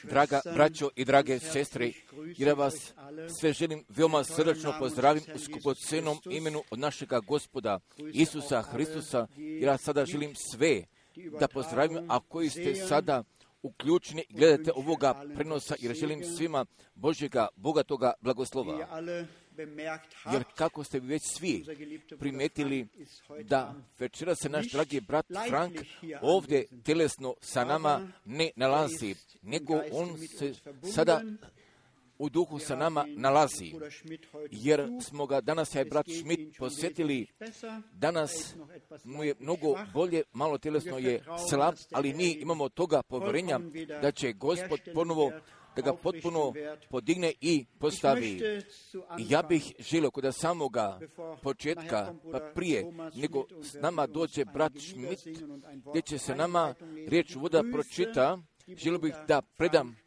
Draga braćo i drage sestre, ja vas sve želim veoma srdačno pozdravim u skupocenom imenu od našega Gospoda Isusa Hristusa. Ja sada želim sve da pozdravim, a koji ste sada uključeni i gledate ovoga prenosa, jer želim svima Božjega bogatoga blagoslova. Jer kako ste već svi primetili da večera se naš dragi brat Frank ovdje telesno sa nama ne nalazi, nego on se sada u duhu sa nama nalazi, jer smo ga danas, brat Schmidt, posjetili. Danas mu je mnogo bolje, malo telesno je slab, ali mi imamo toga povjerenja da će Gospod ponovo da ga potpuno podigne i postavi. Ja bih želio kod samoga početka, pa prije nego s nama dođe brat Schmidt, gdje će se nama riječ voda pročita, želio bih da predam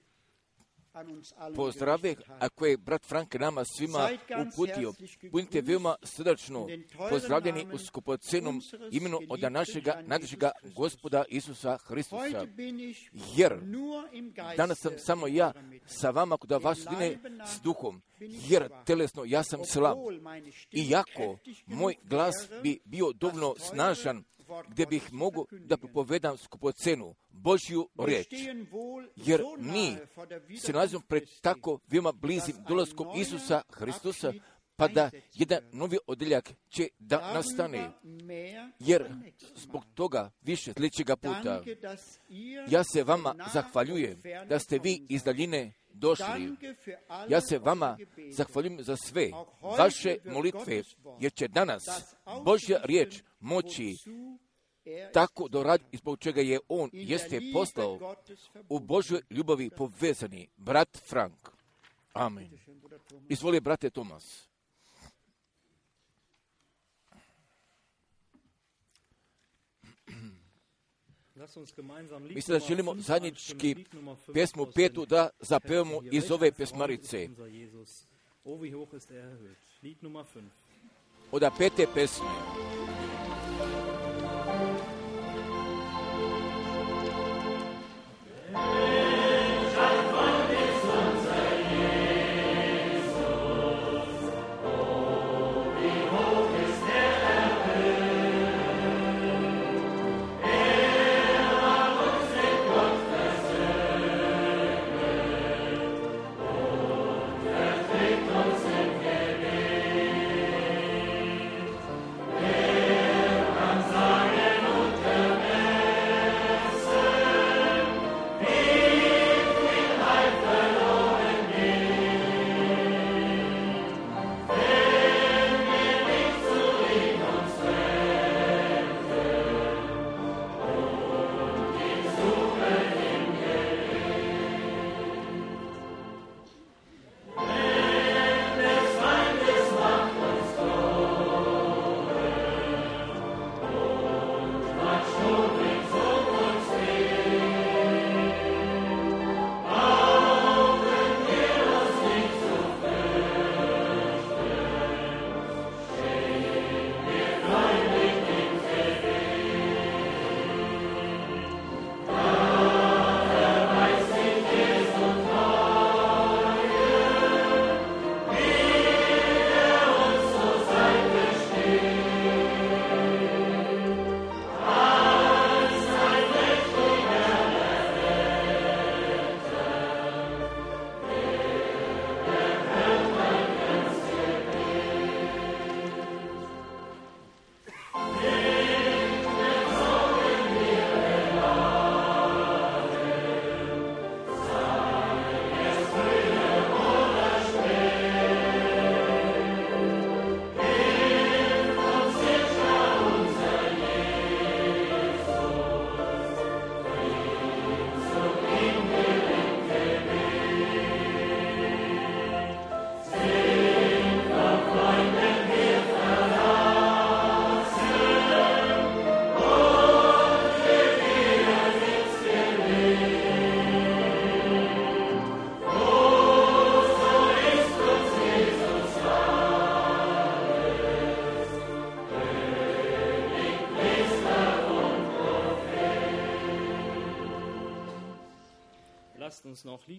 pozdrave, a koje je brat Frank nama svima uputio. Budite veoma srdačno pozdravljeni u skupocenom imenu od našega nadrežega Gospoda Isusa Hristusa. Jer danas sam samo ja sa vama kod vas dine s duhom, jer telesno ja sam slab. Iako moj glas bi bio dovoljno snažan, gdje bih mogu da propovedam skupocenu Božju riječ. Jer mi se nalazimo pred tako veoma blizim dolaskom Isusa Hristusa, pa da jedan novi odjeljak će da nastane. Jer zbog toga više sljedećega puta ja se vama zahvaljujem da ste vi iz daljine došli. Ja se vama zahvaljujem za sve vaše molitve, jer će danas Božja riječ moći tako doradi, zbog čega je on jeste poslao u Božoj ljubavi povezani brat Frank. Amen. Izvoli, brate Tomas. Mislim da želimo zajednički pjesmu 5 da zapevamo iz ove pjesmarice. Od 5. pesme. Am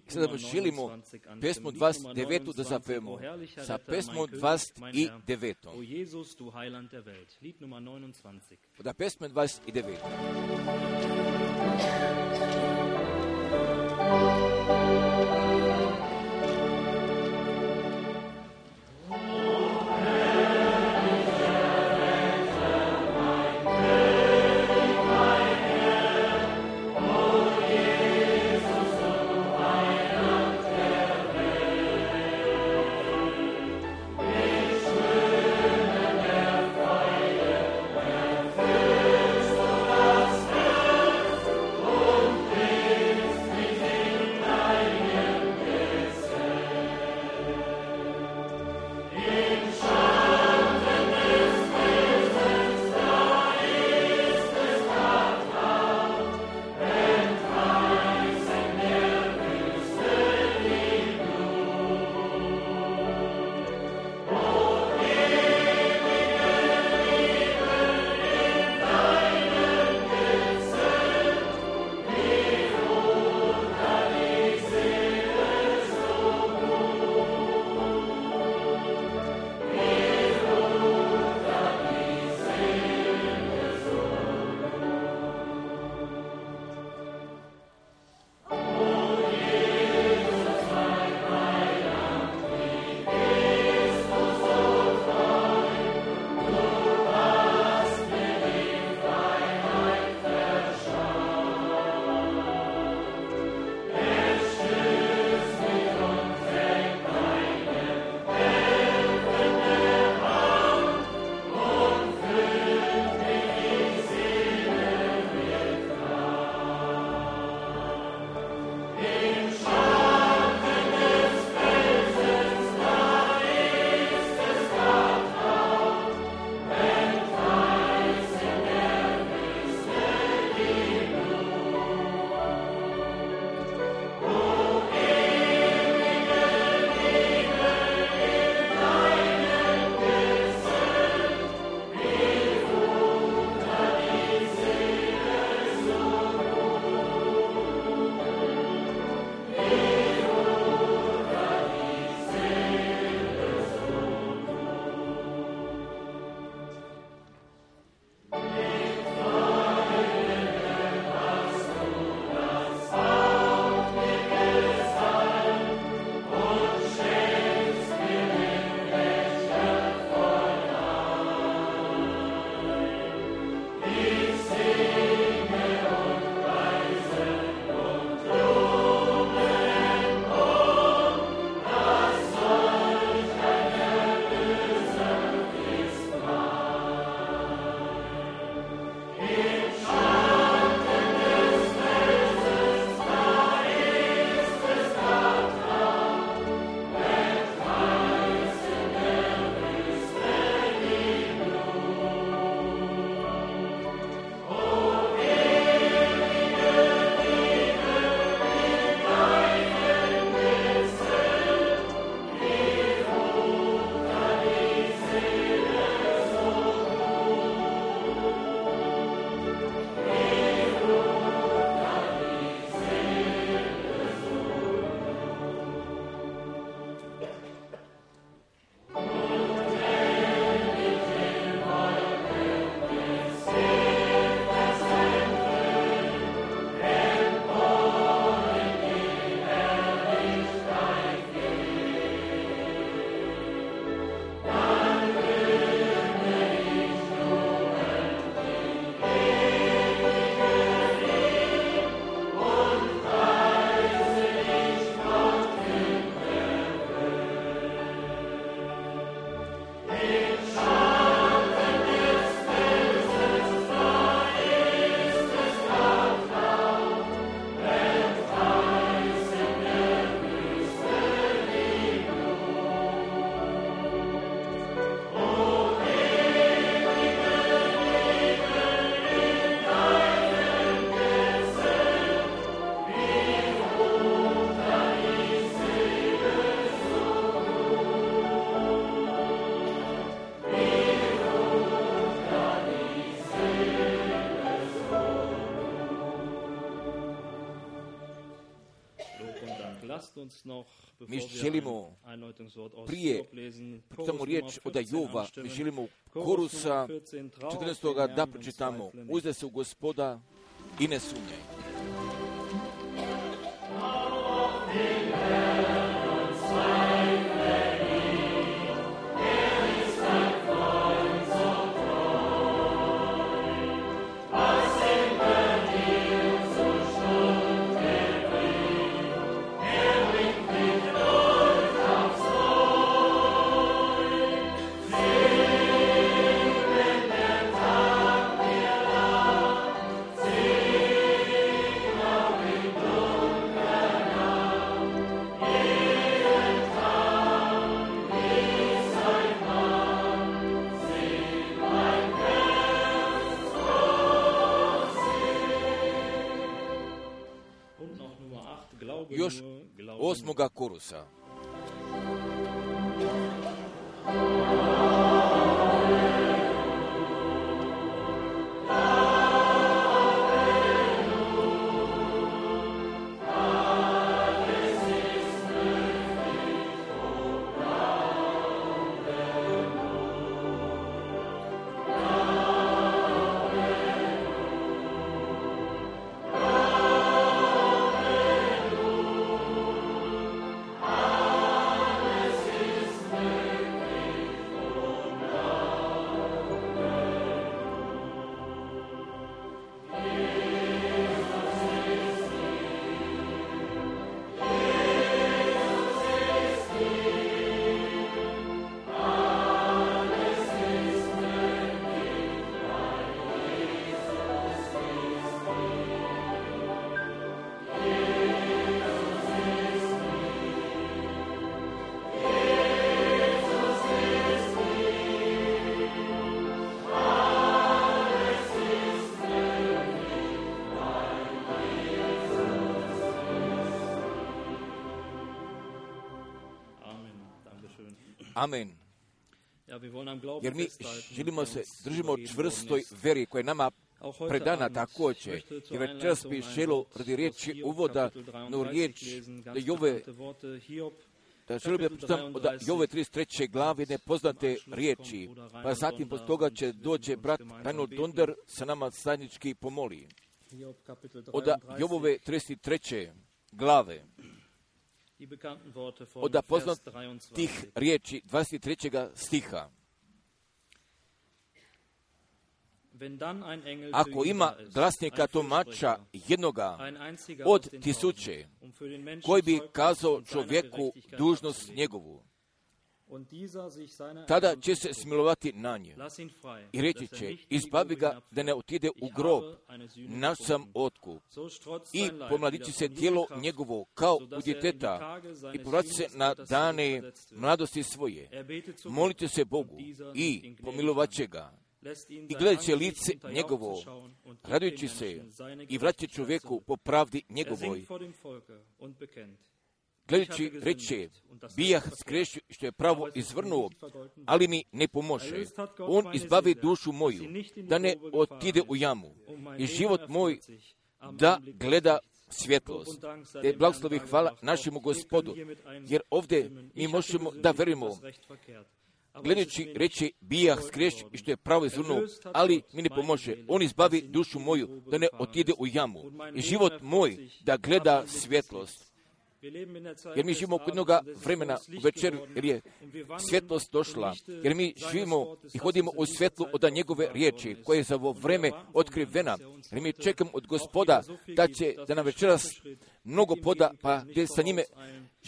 Sada želimo pesmu 29. da zapevamo. Sa pesmom 29. O Jesus, du Heiland der Welt. Lied Nummer 29. Da pesma 29. mi želimo prije pročitamo riječ od Jova, mi želimo Korusa 14. da pročitamo. Uzde se u Gospoda i ne sumnjaj. Još 8. korusa. Amen. Jer mi želimo se, držimo čvrstoj veri koja je nama predana također. I večeras bi želio radi riječi uvoda, no riječ da Jove, da želim da pročitam od Jove 33. glave nepoznate riječi, pa zatim poslije toga će dođe brat Reinhold Donder sa nama zajednički pomoli. Od Jovove 33. glave, od poznatih riječi 23. stiha. Ako ima glasnika tumača jednoga od 1000, koji bi kazao čovjeku dužnost njegovu, tada će se smilovati na nje i reći će, izbavi ga da ne otide u grob, naš sam otkup. I pomladići se tijelo njegovo kao u djeteta i povrati se na dane mladosti svoje. Molite se Bogu i pomilovat će ga. I gledat će lice njegovo, radujući se i vraća čovjeku po pravdi njegovoj. Gledajući reče, bijah skreši što je pravo izvrnuo, ali mi ne pomože. On izbavi dušu moju, da ne otide u jamu. I život moj da gleda svjetlost. Te blagoslovi hvala našemu Gospodu, jer ovdje mi možemo da verujemo. Gledajući reći, bijah skreši što je pravo izvrnuo, ali mi ne pomože. On izbavi dušu moju, da ne otide u jamu. I život moj da gleda svjetlost. Jer mi živimo kod jednoga vremena u večeru, jer je svjetlost došla, jer mi živimo i hodimo u svjetlu od njegove riječi, koje je za ovo vreme otkrivena. Jer mi čekamo od Gospoda da nam večeras mnogo poda, pa gdje sa njime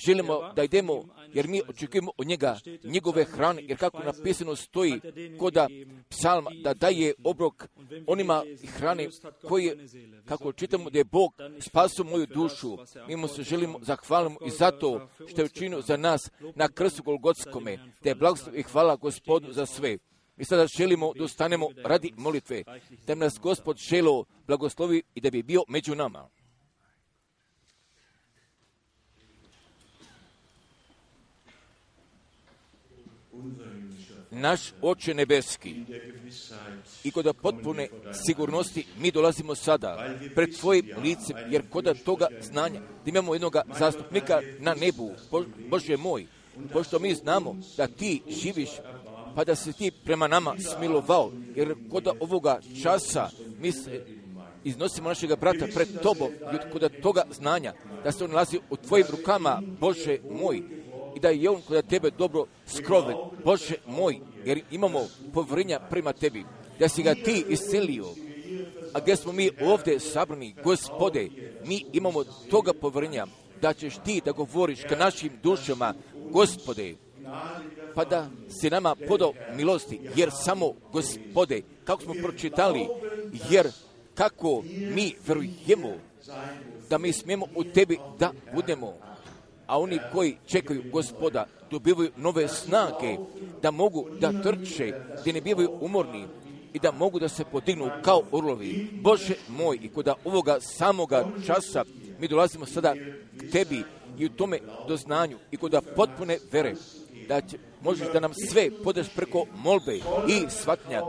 želimo da idemo, jer mi očekujemo od njega njegove hrane, jer kako napisano stoji koda psalma, da daje obrok onima hrane koje, kako čitamo da je Bog spasio moju dušu, mi mu se želimo zahvalimo i zato što je učinio za nas na krstu Golgotskome, da je blagoslov i hvala Gospodu za sve. Mi sada želimo da ustanemo radi molitve, da nas Gospod želo blagoslovi i da bi bio među nama. naš Oče nebeski, i kod potpune sigurnosti mi dolazimo sada pred Tvojim licem, jer kod toga znanja da imamo jednog zastupnika na nebu, Bože moj, pošto mi znamo da Ti živiš, pa da se Ti prema nama smilovao, jer kod ovoga časa mi se iznosimo našega brata pred Tobom i kod toga znanja da se on nalazi u Tvojim rukama, Bože moj, i da je on kod Tebe dobro skroven, Bože moj, jer imamo povjerenja prema Tebi, da si ga Ti iscelio, a gdje smo mi ovdje sabrani, Gospode, mi imamo toga povjerenja da ćeš Ti da govoriš ka našim dušama, Gospode, pa da si nama podao milosti, jer samo, Gospode, kako smo pročitali, jer kako mi verujemo da mi smijemo u Tebi da budemo, a oni koji čekaju Gospoda dobivaju nove snage, da mogu da trče, da ne bivaju umorni i da mogu da se podignu kao orlovi. Bože moj, i kod ovoga samoga časa mi dolazimo sada k Tebi i u tome doznanju i kod potpune vere, da možeš da nam sve podaš preko molbe i shvatnja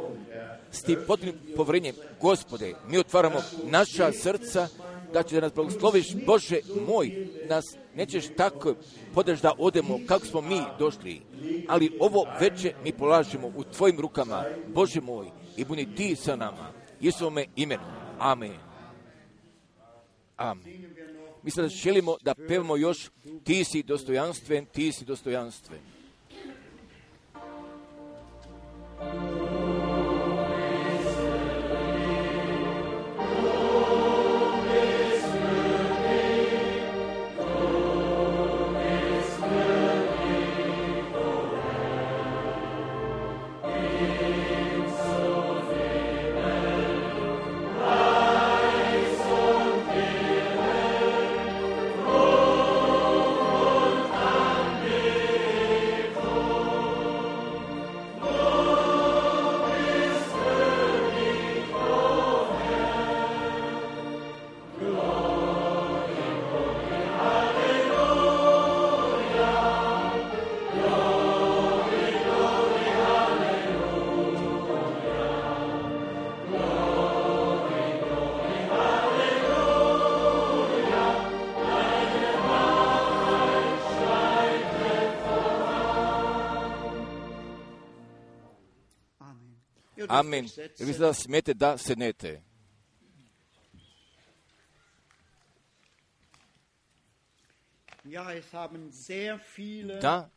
s tim potpunim povjerenjem. Gospode, mi otvaramo naša srca, da će da nas blagosloviš, Bože moj, nas nećeš tako podaš da odemo kako smo mi došli, ali ovo veče mi polažemo u Tvojim rukama, Bože moj, i budi Ti sa nama, Isusovome imenu. Amen. Amen. Mi sada želimo da pevamo još Ti si dostojanstven, Ti si dostojanstven. Amen. Vi sada smijete da sednete. Da,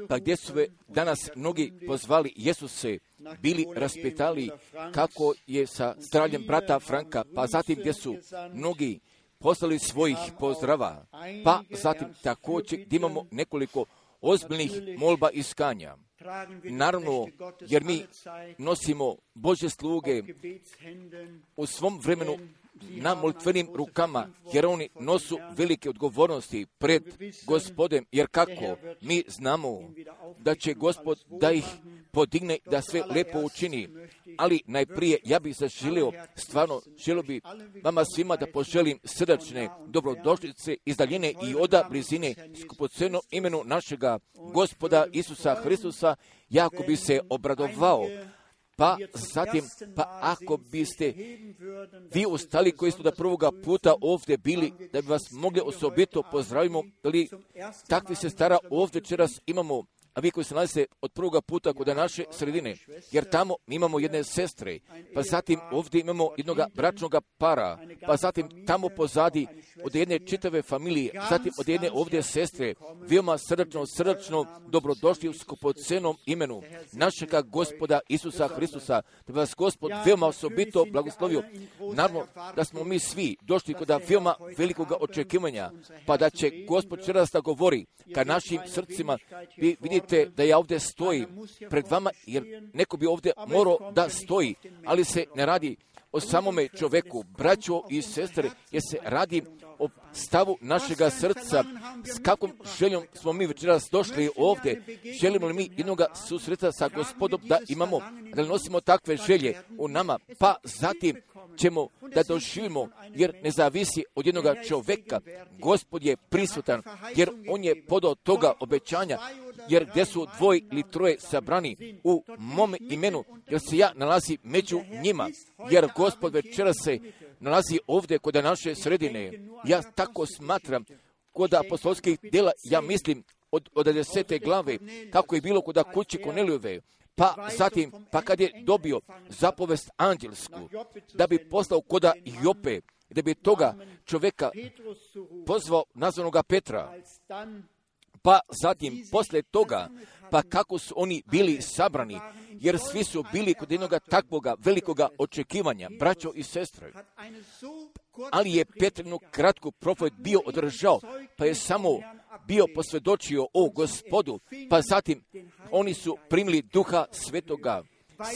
pa gdje su danas mnogi pozvali Jesuse, bili raspitali kako je sa zdravljem brata Franka, pa zatim gdje su mnogi poslali svojih pozdrava, pa zatim također gdje imamo nekoliko ozbiljnih molba i iskanja. Naravno, jer mi nosimo Božje sluge u svom vremenu na molitvenim rukama, jer oni nosu velike odgovornosti pred Gospodem, jer kako mi znamo da će Gospod da ih podigne, da sve lepo učini. Ali najprije ja bih zaželio, stvarno želio bi vama svima da poželim srdačne dobrodošlice iz daljine i oda blizine skupocenom imenu našega Gospoda Isusa Hristusa, jako bi se obradovao. Pa zatim, pa ako biste vi ostali koji ste da prvoga puta ovdje bili, da bi vas mogli osobito pozdravimo, ali takvi sestara ovdje večeras imamo, a vi koji se nalaze od prvoga puta kod naše sredine, jer tamo imamo jedne sestre, pa zatim ovdje imamo jednog bračnog para, pa zatim tamo pozadi od jedne čitave familije, zatim od jedne ovdje sestre, veoma srdačno dobrodošli u skupocenom imenu našega Gospoda Isusa Hristusa, da bi vas Gospod veoma osobito blagoslovio. Naravno da smo mi svi došli kod veoma velikog očekivanja, pa da će Gospod večeras da govori ka našim srcima. Vi vidite da ja ovdje stojim pred vama, jer neko bi ovdje morao da stoji, ali se ne radi o samome čoveku, braćo i sestre, jer se radi o stavu našega srca, s kakvom željom smo mi večeras došli ovdje. Želimo li mi jednoga susreta sa Gospodom da imamo, da nosimo takve želje u nama, pa zatim ćemo da doživimo, jer ne zavisi od jednoga čoveka. Gospod je prisutan, jer on je podao toga obećanja, jer gdje su dvoje ili troje sabrani u mome imenu, jer se ja nalazi među njima, jer Gospod večeras se nalazi ovdje kod naše sredine. Ja tako smatram, kod apostolskih djela, ja mislim, od 10. glave, kako je bilo kod kuće Kornelijove, pa zatim, pa kad je dobio zapovest anđelsku, da bi poslao kod Jope, da bi toga čovjeka pozvao nazvanoga Petra, pa zatim, poslije toga, pa kako su oni bili sabrani, jer svi su bili kod jednoga takvoga velikoga očekivanja, braćo i sestre. Ali je Petrinu kratku propoved bio održao, pa je samo bio posvjedočio o Gospodu, pa zatim oni su primili Duha Svetoga,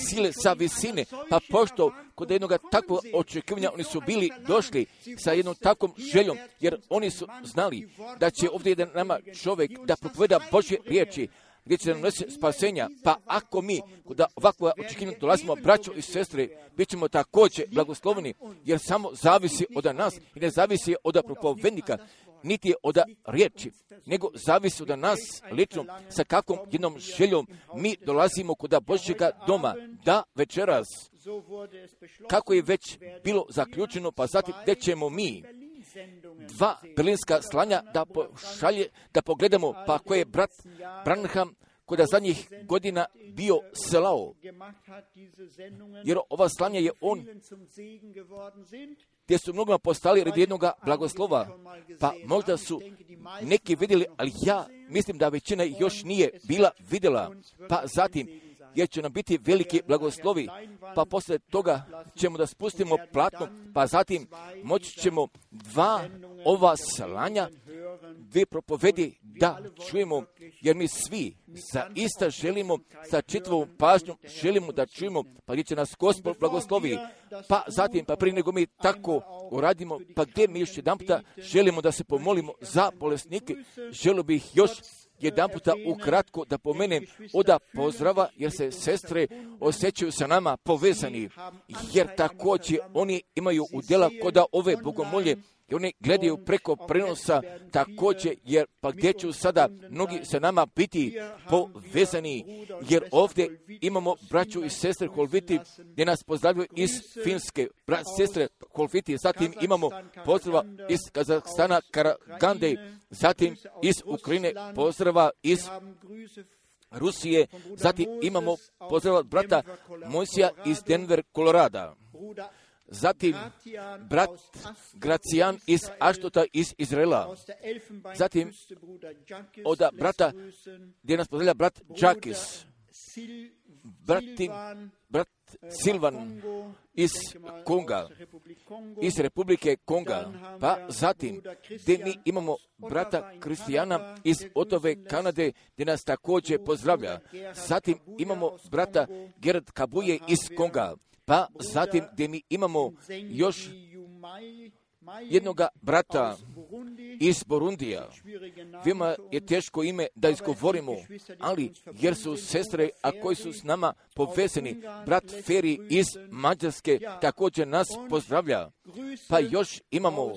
sile sa visine, pa pošto kod jednog takvog očekivanja oni su bili došli sa jednom takvom željom, jer oni su znali da će ovdje jedan nama čovjek da propoveda Božje riječi, gdje će nam nositi spasenja, pa ako mi kod ovakvog očekivanja dolazimo, braćo i sestre, bit ćemo također blagosloveni, jer samo zavisi od nas i ne zavisi od propovednika, niti je od riječi, nego zavisi od nas lično sa kakvom jednom željom mi dolazimo kod Božjega doma, da večeras, kako je već bilo zaključeno, pa zatim gdje ćemo mi 2 berlinska slanja da pošalje, da pogledamo, pa koje je brat Branham kod zadnjih godina bio slao, jer ova slanja je on, gdje su mnogima postali radi jednog blagoslova, pa možda su neki vidjeli, ali ja mislim da većina još nije bila vidjela, pa zatim, jer će nam biti veliki blagoslovi, pa poslije toga ćemo da spustimo platno, pa zatim moći ćemo 2 ova slanja, 2 propovedi da čujemo, jer mi svi zaista želimo, sa čitavom pažnjom želimo da čujemo, pa gdje će nas Gospod blagoslovi, pa zatim, pa prije nego mi tako uradimo, pa gdje mi još jedan puta želimo da se pomolimo za bolesnike, želio bih još jedan puta ukratko da pomenem oda pozdrava, jer se sestre osjećaju sa nama povezani, jer također oni imaju udjela kod ove bogomolje i oni gledaju preko prenosa također, jer pa gdje će sada mnogi sa nama biti povezani, jer ovdje imamo braću i sestre Holviti gdje nas pozdravljaju iz Finske, sestre Holviti, zatim imamo pozdrava iz Kazahstana, Karagande, zatim iz Ukrajine, pozdrava iz Rusije, zatim imamo pozdrava brata Mojsija iz Denver, Kolorada. Zatim brat Gracijan iz Aštota iz Izraela. Zatim od brata gdje nas pozdravlja brat Džakis. Brat Silvan iz Konga, iz Republike Konga. Pa zatim gdje mi imamo brata Kristijana iz Otove, Kanade, gdje nas također pozdravlja. Zatim imamo brata Gerard Kabuje iz Konga. Pa zatim gdje mi imamo još jednoga brata iz Burundija. Veoma je teško ime da izgovorimo, ali jer su sestre, a koji su s nama povezani, brat Feri iz Mađarske također nas pozdravlja. Pa još imamo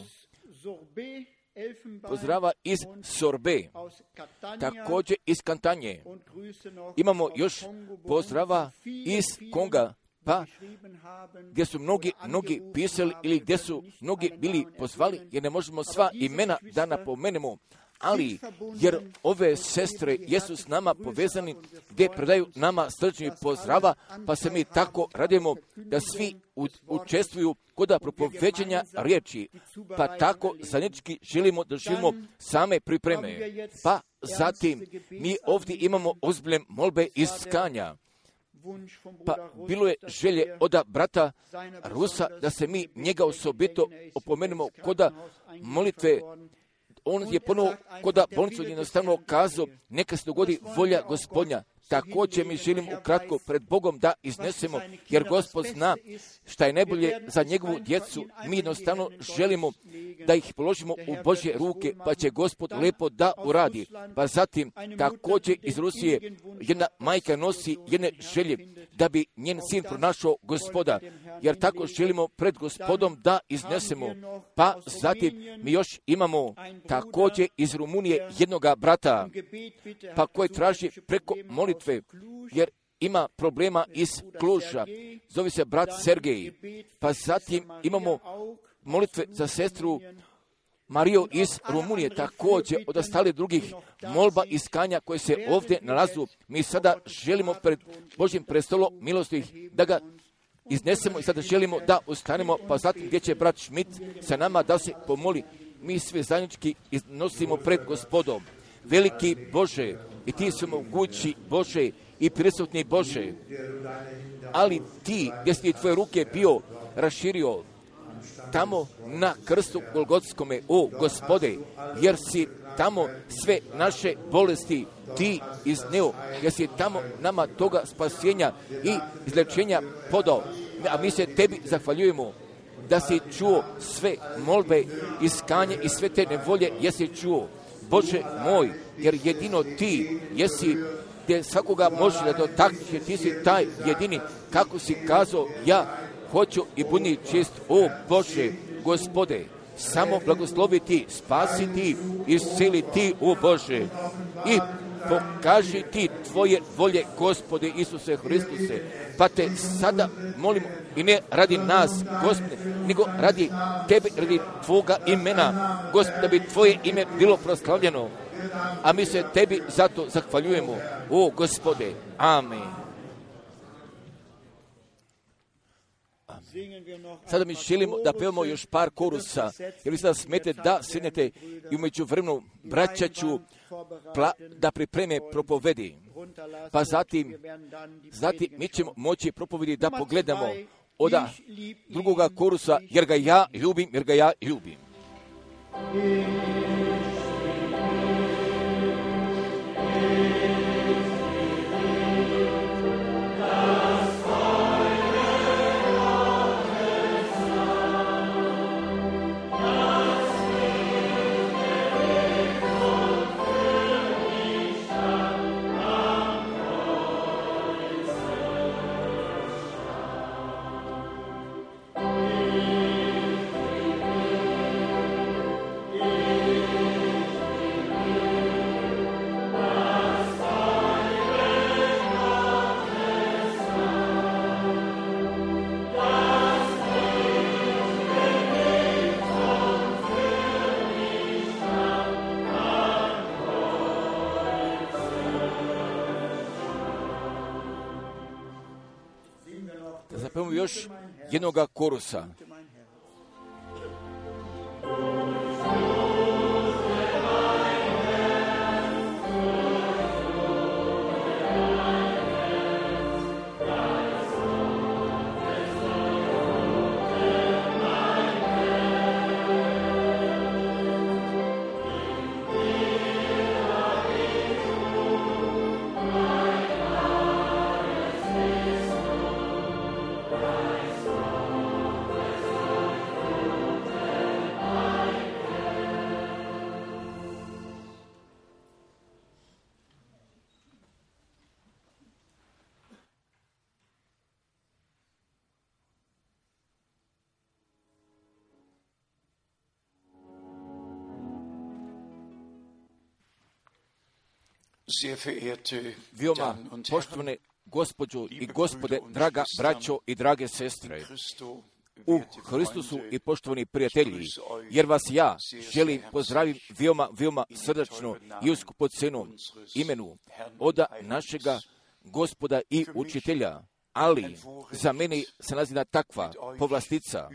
pozdrava iz Sorbe, također iz Kantanje. Imamo još pozdrava iz Konga, pa gdje su mnogi pisali ili gdje su mnogi bili pozvali, jer ne možemo sva imena da napomenemo, ali jer ove sestre jesu s nama povezani, gdje predaju nama srčni pozdrava, pa se mi tako radimo da svi učestvuju kod propoveđenja riječi, pa tako zajednički želimo da živimo same pripreme. Pa zatim mi ovdje imamo ozbiljne molbe iz Skanja. Pa bilo je želje od brata Rusa da se mi njega osobito opomenemo kod molitve. On je ponovo kod bolnicu jednostavno kazao, neka se dogodi volja Gospodnja. Također mi želim ukratko pred Bogom da iznesemo, jer Gospod zna šta je najbolje za njegovu djecu. Mi jednostavno želimo da ih položimo u Božje ruke, pa će Gospod lepo da uradi. Pa zatim također iz Rusije jedna majka nosi jedne želje da bi njen sin pronašao Gospoda, jer tako želimo pred Gospodom da iznesemo. Pa zatim mi još imamo također iz Rumunije jednoga brata, pa koji traži preko molitve, jer ima problema iz Kluža, zove se brat Sergej. Pa zatim imamo molitve za sestru Mariju iz Rumunije, također od ostalih drugih molba iskanja koje se ovdje nalazu. Mi sada želimo pred Božjim prestolom milosti da ga iznesemo i sada želimo da ustanemo, pa zatim gdje će brat Schmidt sa nama da se pomoli. Mi sve zajednički iznosimo pred Gospodom. Veliki Bože, i ti su mogući Bože i prisutni Bože, ali ti gdje si tvoje ruke bio raširio tamo na krstu Golgotskome, o Gospode, jer si tamo sve naše bolesti ti izneo, jer si tamo nama toga spasenja i izlečenja podao. A mi se tebi zahvaljujemo da si čuo sve molbe, iskanje i sve te nevolje, jesi čuo. Bože moj, jer jedino ti jesi gdje svakoga može da dotakneš, jer ti si taj jedini, kako si kazao, ja hoću i budi čist, o Bože, Gospode, samo blagosloviti, spasiti, isceliti, o Bože, i pokaži ti tvoje volje, Gospode Isuse Hristuse, pa te sada molimo, i ne radi nas, Gospode, nego radi tebe, radi tvoga imena, Gospode, da bi tvoje ime bilo proslavljeno, a mi se tebi zato zahvaljujemo, o Gospode, amen. Sada mi želimo da pevamo još par korusa, jer vi sada smete da sjednete i umeđu vremenu braća ću da pripreme propovedi. Pa zatim mi ćemo moći propovedi da pogledamo od drugoga korusa, jer ga ja ljubim. Zapevamo još jednoga korusa. Veoma poštovane gospođo i gospode, draga braćo i drage sestre, u Hristusu i poštovani prijatelji, jer vas ja želim pozdraviti veoma srdačno i u skupocenom imenu od našega Gospoda i učitelja. Ali za mene se nazina takva povlastica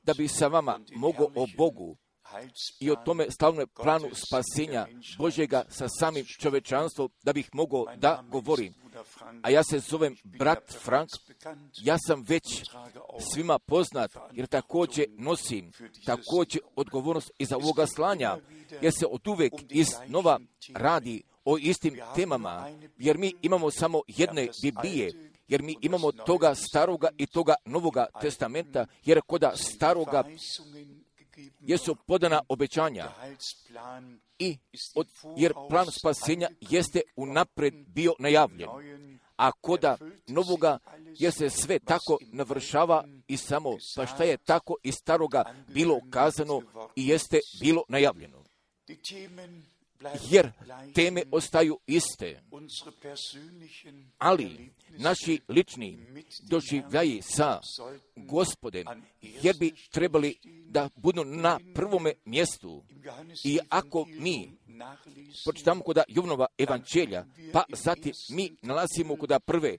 da bi sa vama mogao o Bogu i o tome slavnom planu spasenja Božjega sa samim čovečanstvom da bih mogao da govorim. A ja se zovem brat Frank, ja sam već svima poznat jer također nosim odgovornost iza ovoga slanja, jer se od uvek iznova radi o istim temama, jer mi imamo samo jedne Biblije, jer mi imamo toga staroga i toga novoga testamenta, jer koda staroga jesu podana obećanja jer plan spasenja jeste unapred bio najavljen, a koda novoga, jer se sve tako navršava i samo, pa šta je tako iz staroga bilo kazano i jeste bilo najavljeno. Jer teme ostaju iste, ali naši lični doživljaji sa Gospodem, jer bi trebali da budu na prvome mjestu. I ako mi pročitamo kod Jovanova evanđelja, pa zatim mi nalazimo kod prve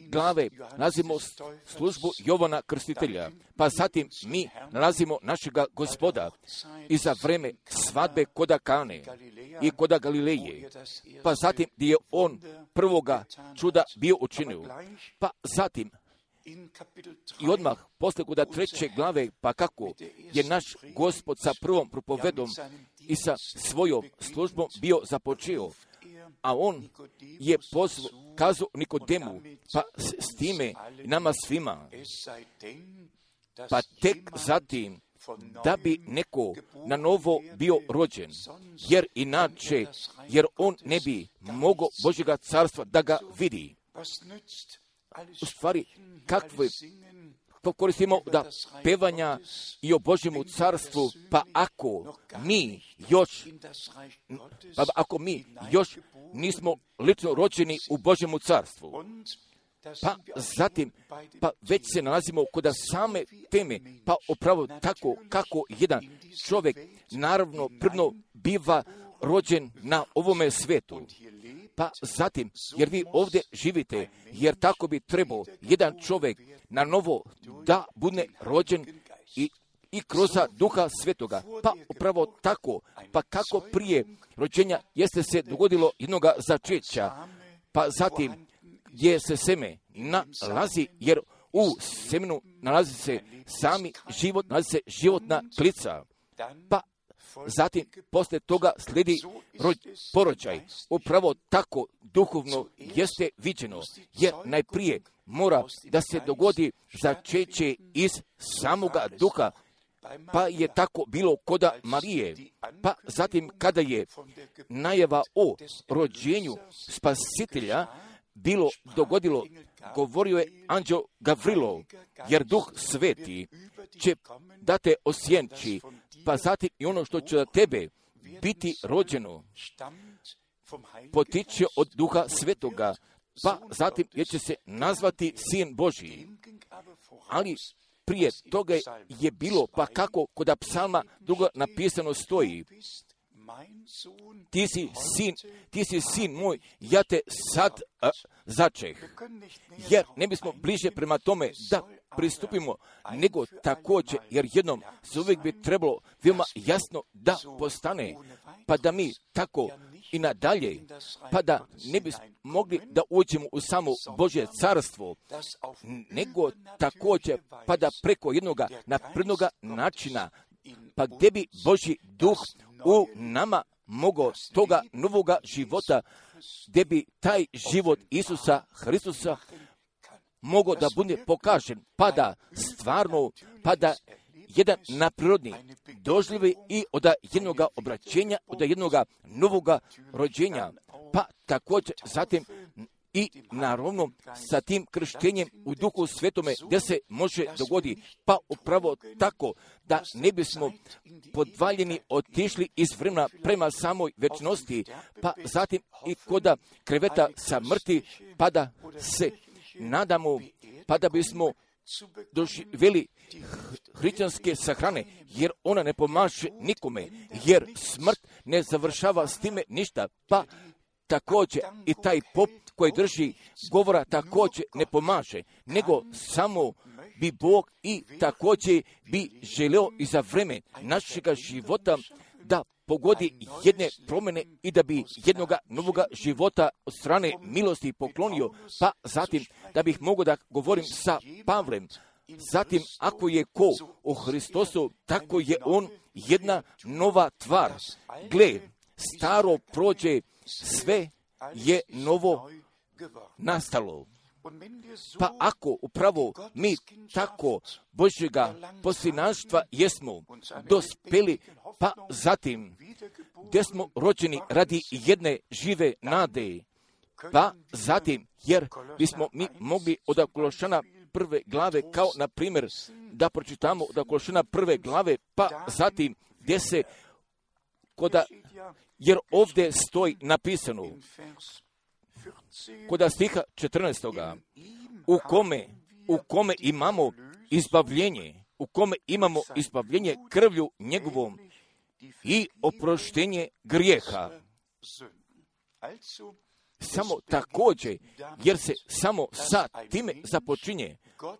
glave, nalazimo službu Jovana Krstitelja, pa zatim mi nalazimo našega Gospoda i za vreme svadbe koda Kane i koda Galileje, pa zatim gdje je on prvoga čuda bio učinio, pa zatim i odmah posle kod 3. glave, pa kako je naš Gospod sa prvom propovedom i sa svojom službom bio započeo, a on je kazao Nikodemu, pa s time nama svima, pa tek zatim da bi neko na novo bio rođen, jer on ne bi mogao Božjega carstva da ga vidi. U stvari, kakve koristimo da pevanja i o Božjemu carstvu, pa ako mi još nismo lično rođeni u Božjemu carstvu, pa zatim, pa već se nalazimo kod same teme, pa upravo tako kako jedan čovjek naravno prvno biva rođen na ovome svetu. Pa zatim, jer vi ovdje živite, jer tako bi trebao jedan čovjek na novo da bude rođen i kroz Duha Svetoga. Pa upravo tako, pa kako prije rođenja jeste se dogodilo jednoga začeća, pa zatim gdje se seme nalazi, jer u semenu nalazi se sami život, nalazi se životna klica, pa zatim posle toga slijedi porođaj. Upravo tako duhovno jeste viđeno, jer najprije mora da se dogodi začeće iz samoga duha, pa je tako bilo koda Marije, pa zatim kada je najava o rođenju Spasitelja bilo dogodilo, govorio je anđeo Gavrilo, jer Duh Sveti će da te osjenči, pa zatim i ono što će da tebe biti rođeno potiče od Duha Svetoga, pa zatim jer će se nazvati Sin Božji. Ali prije toga je bilo, pa kako kod psalma druga napisano stoji, ti si sin moj, ja te sad začeh. Jer ne bismo bliže prema tome da pristupimo, nego također, jer jednom se uvijek bi trebalo veoma jasno da postane, pa da mi tako i nadalje, pa da ne bismo mogli da uđemo u samo Božje carstvo, nego također, pa da preko jednoga naprednoga načina, pa gdje bi Božji duh u nama mogao toga novoga života, gdje bi taj život Isusa Hristusa mogao da bude pokažen, pa da stvarno, pa da jedan naprirodni doživljaj i od jednoga obraćenja, od jednoga novoga rođenja, pa također zatim i naravno sa tim krštenjem u Duhu Svetome gdje se može dogoditi, pa upravo tako da ne bismo podvaljeni otišli iz vremena prema samoj večnosti, pa zatim i koda kreveta samrti, pa da se nadamo, pa da bismo doživjeli hrišćanske sahrane, jer ona ne pomaže nikome, jer smrt ne završava s time ništa, pa također i taj pop koji drži govora također ne pomaže, nego samo bi Bog i također bi želeo i za vreme našega života da pogodi jedne promjene i da bi jednoga novoga života od strane milosti poklonio, pa zatim da bih mogao da govorim sa Pavlem. Zatim, ako je ko u Hristosu, tako je on jedna nova tvar. Gle, staro prođe, sve je novo nastalo. Pa ako upravo mi tako Božjega posljednaštva jesmo dospeli, pa zatim gdje smo rođeni radi jedne žive nade, Pa zatim, jer bismo mi mogli od Kološana prve glave, kao na primjer da pročitamo od Kološana prve glave, pa zatim gdje se jer ovdje stoji napisano kod stiha 14. u kome imamo izbavljenje krvlju njegovom i oproštenje grijeha. Samo također, jer se samo sa time započinje,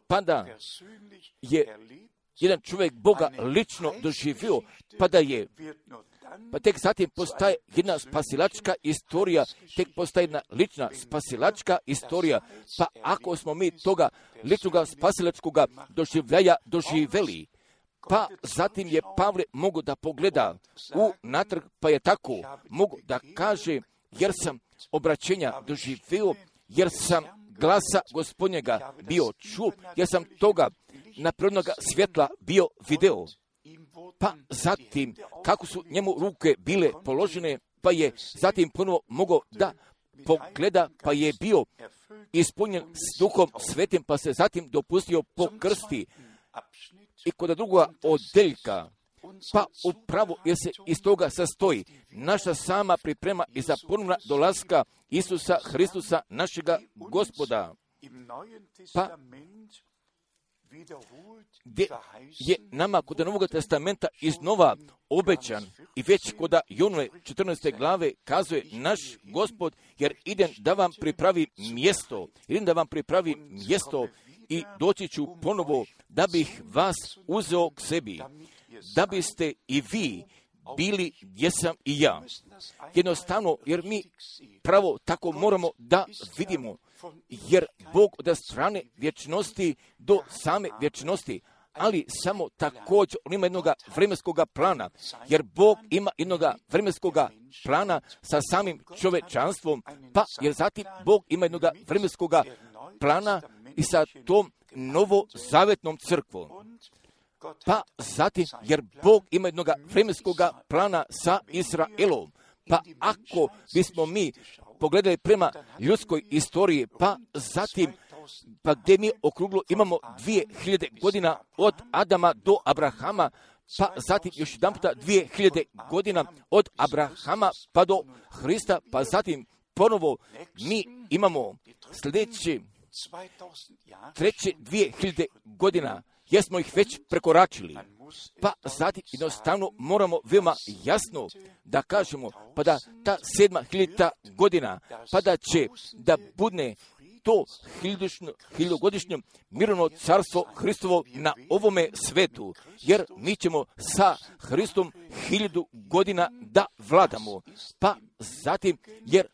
pa da je jedan čovjek Boga lično doživio, pa tek zatim postaje jedna spasilačka istorija, tek postaje jedna lična spasilačka istorija, pa ako smo mi toga ličnoga spasilačkoga doživljaja doživjeli, pa zatim je Pavle mogu da pogleda natrag, pa je tako mogu da kaže, jer sam obraćenja doživio, jer sam glasa Gospodnjega bio čuo, jer sam toga naprednoga svjetla bio video. Pa zatim, kako su njemu ruke bile položene, pa je zatim ponovo mogao da pogleda, pa je bio ispunjen s Duhom Svetim, pa se zatim dopustio pokrsti. I kod drugoga odeljka, pa upravo jer se iz toga sastoji naša sama priprema i za ponovna dolaska Isusa Hristusa, našega Gospoda. Pa gdje je nama kod Novog testamenta iznova obećan i već kod Jonove 14. glave kazuje naš Gospod, jer idem da vam pripravi mjesto i doći ću ponovo da bih vas uzeo k sebi, da biste i vi bili gdje sam i ja. Jednostavno, jer mi pravo tako moramo da vidimo, jer Bog od strane vječnosti do same vječnosti, ali samo također on ima jednog vremenskog plana, jer Bog ima jednog vremenskog plana sa samim čovečanstvom, pa jer zatim Bog ima jednog vremenskog plana i sa tom novozavetnom crkvom. Pa zatim, jer Bog ima jednog vremenskog plana sa Izraelom, pa ako bismo mi pogledali prema ljudskoj istoriji, pa zatim, pa gdje mi okruglo imamo 2000 godina od Adama do Abrahama, pa zatim još jedan puta 2000 godina od Abrahama pa do Hrista, pa zatim ponovo mi imamo sljedeće treće 2000 godina, jer smo ih već prekoračili. Pa zatim jednostavno moramo veoma jasno da kažemo, pa da ta 7000 godina, pa da će da budne to hiljadugodišnje mirovno carstvo Hristovo na ovome svetu, jer mi ćemo sa Hristom 1000 godina da vladamo. Pa zatim, jer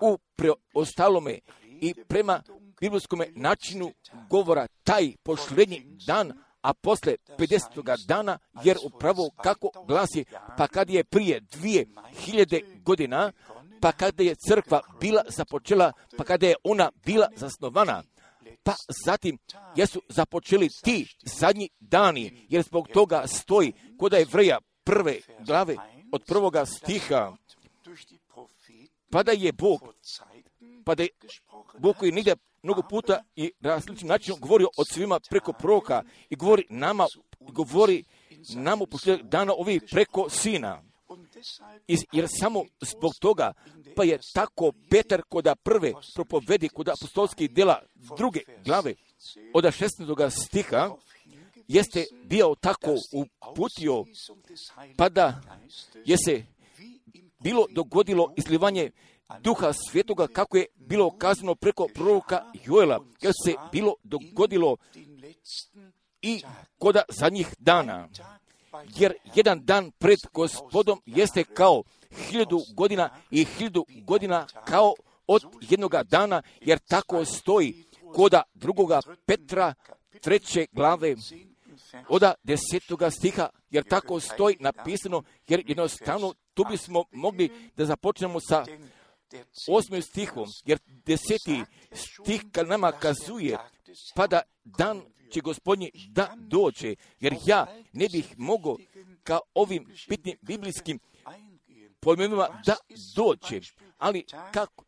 u preostalome i prema biblijskom načinu govora taj posljednji dan, a posle 50. dana, jer upravo kako glasi, pa kad je prije 2000 godina, pa kada je crkva bila započela, pa kada je ona bila zasnovana, pa zatim jesu započeli ti zadnji dani, jer zbog toga stoji kod Jevreja prve glave od prvoga stiha, pa da je Bog koji nigdje mnogo puta i različitim načinom govorio od svima preko proroka i govori nama u posljednjeg dana ovih preko Sina. Jer samo zbog toga, pa je tako Petar kod prve propovedi kod apostolskih djela druge glave od 16. stiha jeste bio tako uputio, pa da je se bilo dogodilo izlivanje Duha Svetoga kako je bilo kazano preko proroka Joela, jer se bilo dogodilo i kod zadnjih dana. Jer jedan dan pred Gospodom jeste kao 1000 godina i 1000 godina kao od jednoga dana, jer tako stoji kod 2. Petra 3. glave od 10. stiha, jer tako stoji napisano, jer jednostavno tu bismo mogli da započnemo sa 8. stihom, jer 10. stih kad nama kazuje, pa da dan će Gospodnji da dođe, jer ja ne bih mogao ka ovim bitnim biblijskim pojmovima da dođe. Ali kako?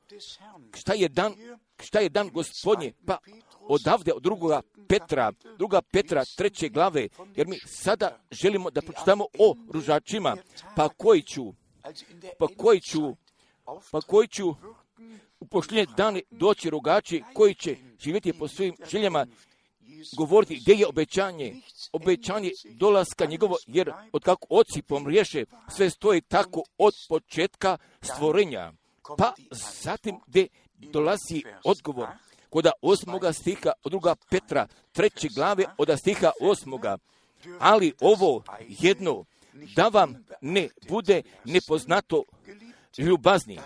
Šta je dan Gospodnje? Pa odavde od druga Petra 3. glave, jer mi sada želimo da pročitamo o ružačima, pa koji će u posljednje dane doći rugači koji će živjeti po svojim željama, govoriti gdje je obećanje dolaska njegovo, jer od kako oci pomriješe, sve stoji tako od početka stvorenja. Pa zatim gdje dolazi odgovor, kod 8. stiha od 2. Petra 3. glave od stiha 8. Ali ovo jedno, da vam ne bude nepoznato, ljubazni,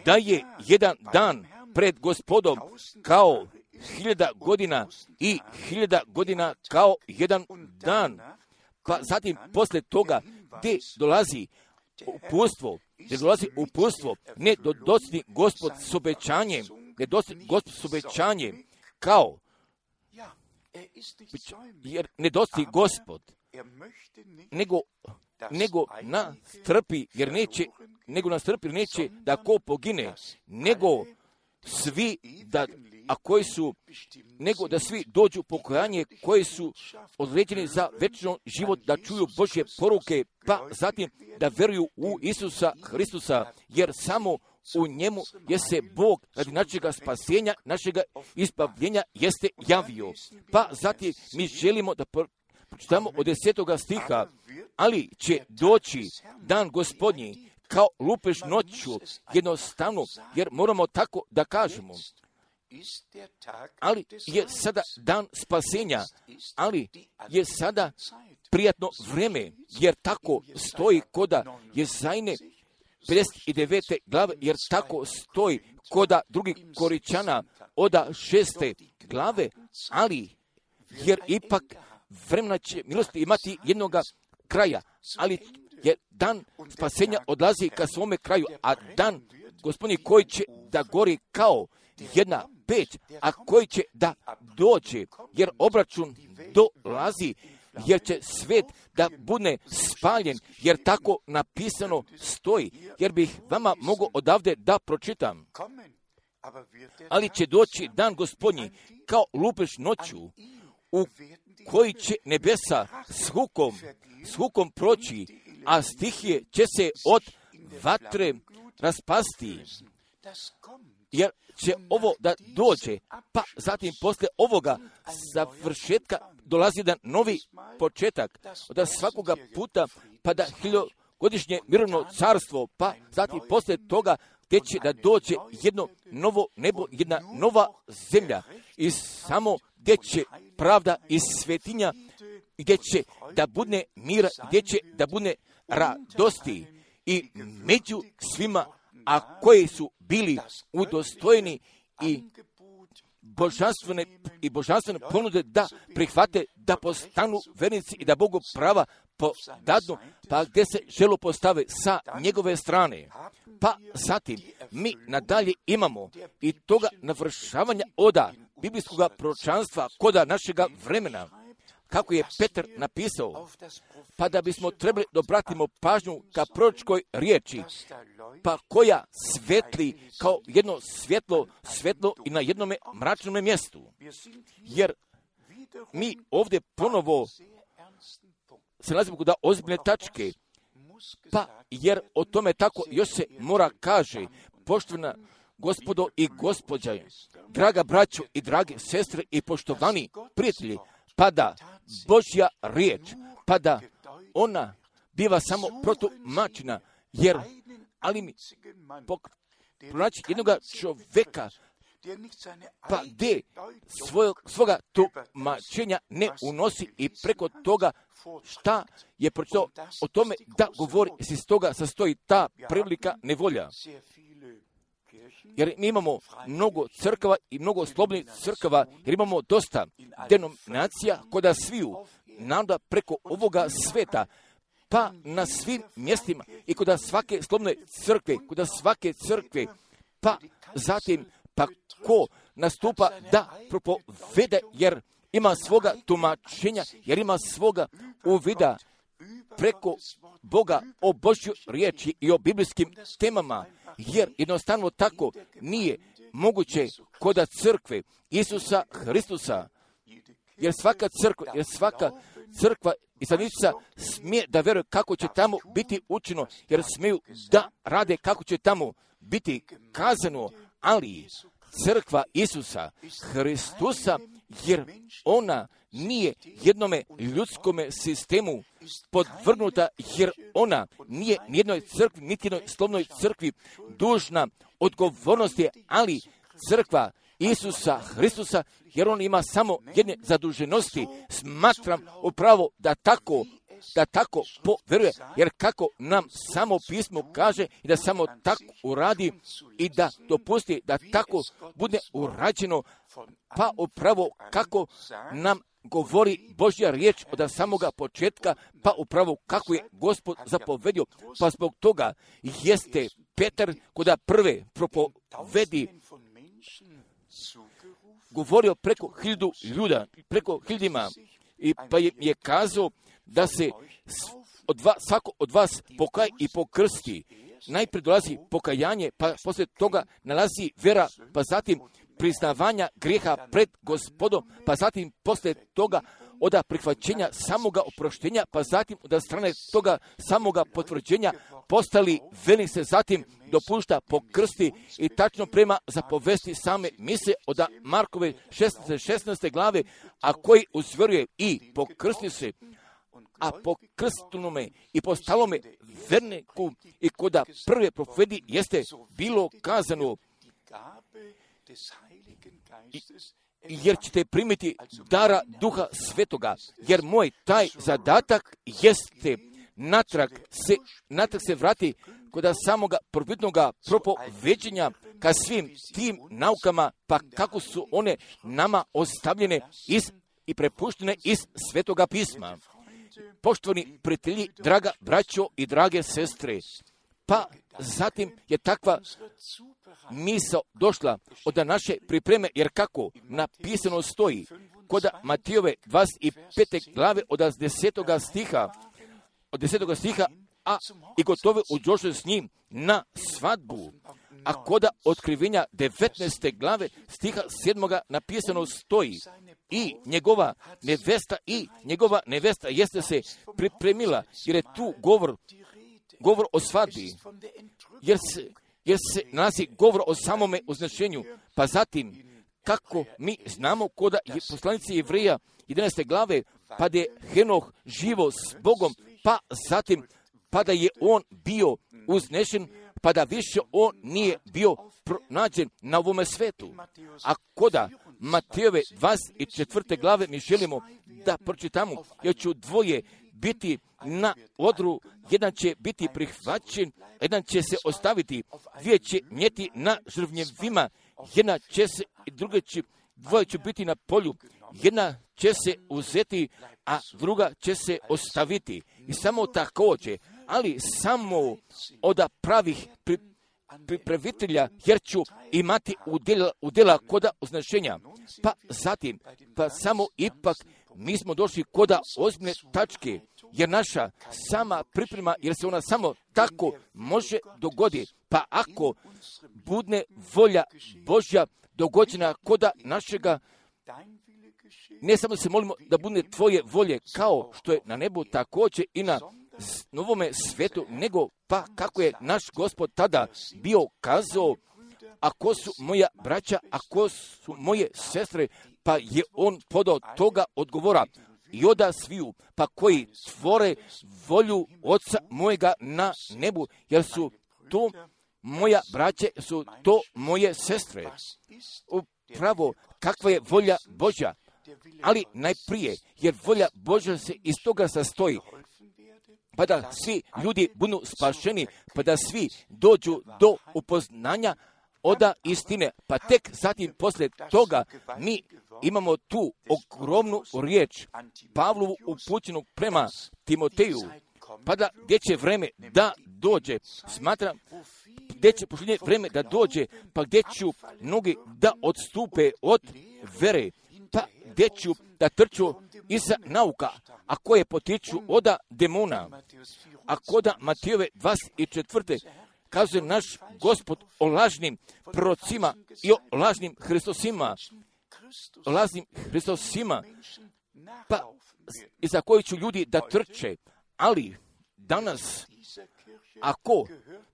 da je jedan dan pred Gospodom kao 1000 godina i 1000 godina kao jedan dan. Pa zatim posle toga gdje dolazi upustvo, ne doći Gospod s obećanjem, kao, jer ne doći Gospod, nego nastrpi, jer neće da ko pogine, nego da svi dođu pokajanje koji su određeni za večni život, da čuju Božje poruke, pa zatim da veruju u Isusa Hristusa, jer samo u njemu je se Bog radi našega spasenja, našega izbavljenja jeste javio. Pa zatim mi želimo da pročitamo od 10. stiha, ali će doći dan Gospodnji kao lupež noću, jednostavno, jer moramo tako da kažemo. Ali je sada dan spasenja, ali je sada prijatno vreme, jer tako stoji koda Jezajne 59. glave, jer tako stoji koda 2. Koričana od 6. glave, ali jer ipak vremena će milosti imati jednoga kraja, ali je dan spasenja odlazi ka svome kraju, a dan Gospodnji koji će da gori kao jedna peć, a koji će da dođe, jer obračun dolazi, jer će svet da bude spaljen, jer tako napisano stoji, jer bih vama mogao odavde da pročitam. Ali će doći dan Gospodnji kao lupež noću, u koji će nebesa s hukom proći, a stihije će se od vatre raspasti, jer će ovo da dođe, pa zatim posle ovoga završetka dolazi jedan novi početak, od svakoga puta, pa da 1000-godišnje mirovno carstvo, pa zatim posle toga gdje će da dođe jedno novo nebo, jedna nova zemlja, i samo gdje će pravda i svetinja, gdje će da bude mira, gdje će da bude radosti, i među svima, a koji su bili udostojeni i božanstvene ponude da prihvate, da postanu vernici i da Bogu prava podadnu, pa gdje se želo postave sa njegove strane. Pa zatim mi nadalje imamo i toga navršavanja oda biblijskog proročanstva koda našega vremena, kako je Petar napisao, pa da bismo trebali da obratimo pažnju ka proročkoj riječi, pa koja svetli kao jedno svetlo i na jednome mračnome mjestu. Jer mi ovdje ponovo se nalazimo kod ozbiljne tačke, pa jer o tome tako još se mora kaže, poštovana gospodo i gospođa, draga braćo i drage sestre i poštovani prijatelji, pa da Božja riječ, pa da ona biva samo protumačena, jer ali mi pronaći jednog čovjeka, pa gdje svoga tumačenja ne unosi i preko toga šta je pročitao o tome da govori, iz toga sastoji ta prilika nevolja. Jer mi imamo mnogo crkava i mnogo slobodnih crkava, jer imamo dosta denominacija koda sviju nada preko ovoga sveta, pa na svim mjestima i kod svake slobodne crkve, pa zatim pa ko nastupa da propovede, jer ima svoga tumačenja, jer ima svoga uvida preko Boga o Božjoj riječi i o biblijskim temama, jer jednostavno tako nije moguće kod crkve Isusa Hristusa. Jer svaka crkva i stanica smije da vjeruje kako će tamo biti učeno, jer smiju da rade kako će tamo biti kazano, ali crkva Isusa Hristusa, jer ona nije jednome ljudskome sistemu podvrgnuta, jer ona nije nijednoj crkvi, niti jednoj slovnoj crkvi dužna odgovornosti, ali crkva Isusa Hristusa, jer on ima samo jedne zaduženosti. Smatram upravo da tako poveruje, jer kako nam samo pismo kaže i da samo tako uradi i da dopusti da tako bude urađeno, pa upravo kako nam govori Božja riječ od samoga početka, pa upravo kako je Gospod zapovedio, pa zbog toga jeste Petar koda prve propovedi govorio preko 1000 ljuda, preko 1000 i pa je kazao da se svako od vas pokaj i pokrsti. Najprije dolazi pokajanje, pa poslije toga nalazi vera, pa zatim priznavanja grijeha pred Gospodom, pa zatim poslije toga od prihvaćenja samoga oproštenja, pa zatim od strane toga samoga potvrđenja postali veli se zatim dopušta pokrsti i tačno prema zapovesti same mise od Markove 16. glave, a koji uzvjeruje i pokrsti se, a po krstunome i po stalome verniku i koda prve profedi jeste bilo kazano, jer ćete primiti dara Duha Svetoga, jer moj taj zadatak jeste natrag se vrati kod samoga prvobitnoga propoveđenja ka svim tim naukama, pa kako su one nama ostavljene i prepuštene iz Svetoga pisma. Poštovani prijatelji, draga braćo i drage sestre, pa zatim je takva misao došla od naše pripreme, jer kako napisano stoji kod Matijove 25. glave od 10. stiha, a i gotovo uđoše s njim na svadbu. A kod otkrivenja 19. glave stiha 7. napisano stoji i njegova nevesta jeste se pripremila, jer je tu govor o svadbi, jer se nalazi govor o samome označenju. Pa zatim, kako mi znamo kod poslanice Jevreja 11. glave, pa da je Henoh živo s Bogom, pa zatim, pa da je on bio uznešen, pa da više on nije bio pronađen na ovome svetu. A koda Matejove 24. glave mi želimo da pročitamo, jer ću dvoje biti na odru, jedan će biti prihvaćen, jedan će se ostaviti, dvije će njeti na žrvnjevima, jedna će se i dvoje će biti na polju, jedna će se uzeti, a druga će se ostaviti. I samo također, ali samo od pravih pripravitelja, jer ću imati udjela koda označenja. Pa zatim, pa samo ipak mi smo došli koda ozbiljne tačke, jer naša sama priprema, jer se ona samo tako može dogoditi. Pa ako bude volja Božja dogođena koda našega, ne samo se molimo da bude tvoje volje kao što je na nebu također i na novome svetu, nego pa kako je naš Gospod tada bio kazao, ako su moja braća, ako su moje sestre, pa je on podao toga odgovora i oda sviju, pa koji tvore volju Oca mojega na nebu, jer su to moja braće, su to moje sestre. Upravo kakva je volja Božja, ali najprije, jer volja Božja se iz toga sastoji, pa da svi ljudi budu spašeni, pa da svi dođu do upoznanja oda istine, pa tek zatim poslije toga mi imamo tu ogromnu riječ Pavlovu upućenu prema Timoteju, pa da gdje će vreme da dođe, smatram, gdje će pošljenje vreme da dođe, pa gdje ću mnogi da odstupe od vere, pa gdje ću da trču iza nauka, a koje potiču oda demona. A koda Matijove 24. kazuje naš Gospod o lažnim prorocima i o lažnim Hristosima. Lažnim Hristosima, pa iza koji ću ljudi da trče. Ali danas, ako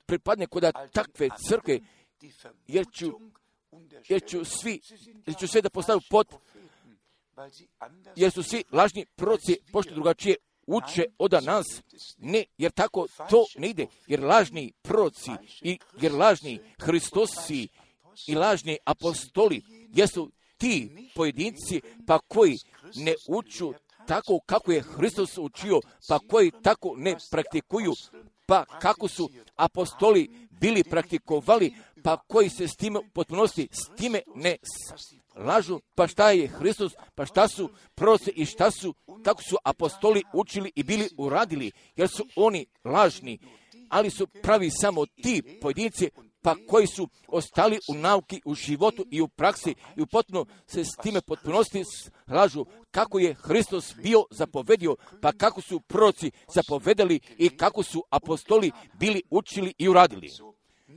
pripadne kod takve crkve, jer ću sve da postavim pod, jer su svi lažni proroci pošto drugačije uče od nas. Ne, jer tako to ne ide. Jer lažni proroci jer lažni Hristosi i lažni apostoli jesu ti pojedinci pa koji ne uču tako kako je Hristos učio, pa koji tako ne praktikuju, pa kako su apostoli bili praktikovali, pa koji se s time potpunosti s time ne lažu, pa šta je Hristos, pa šta su proroci i kako su apostoli učili i bili uradili, jer su oni lažni, ali su pravi samo ti pojedinci, pa koji su ostali u nauki, u životu i u praksi i u potpuno se s time potpunosti lažu kako je Hristos bio zapovedio, pa kako su proroci zapovedali i kako su apostoli bili učili i uradili.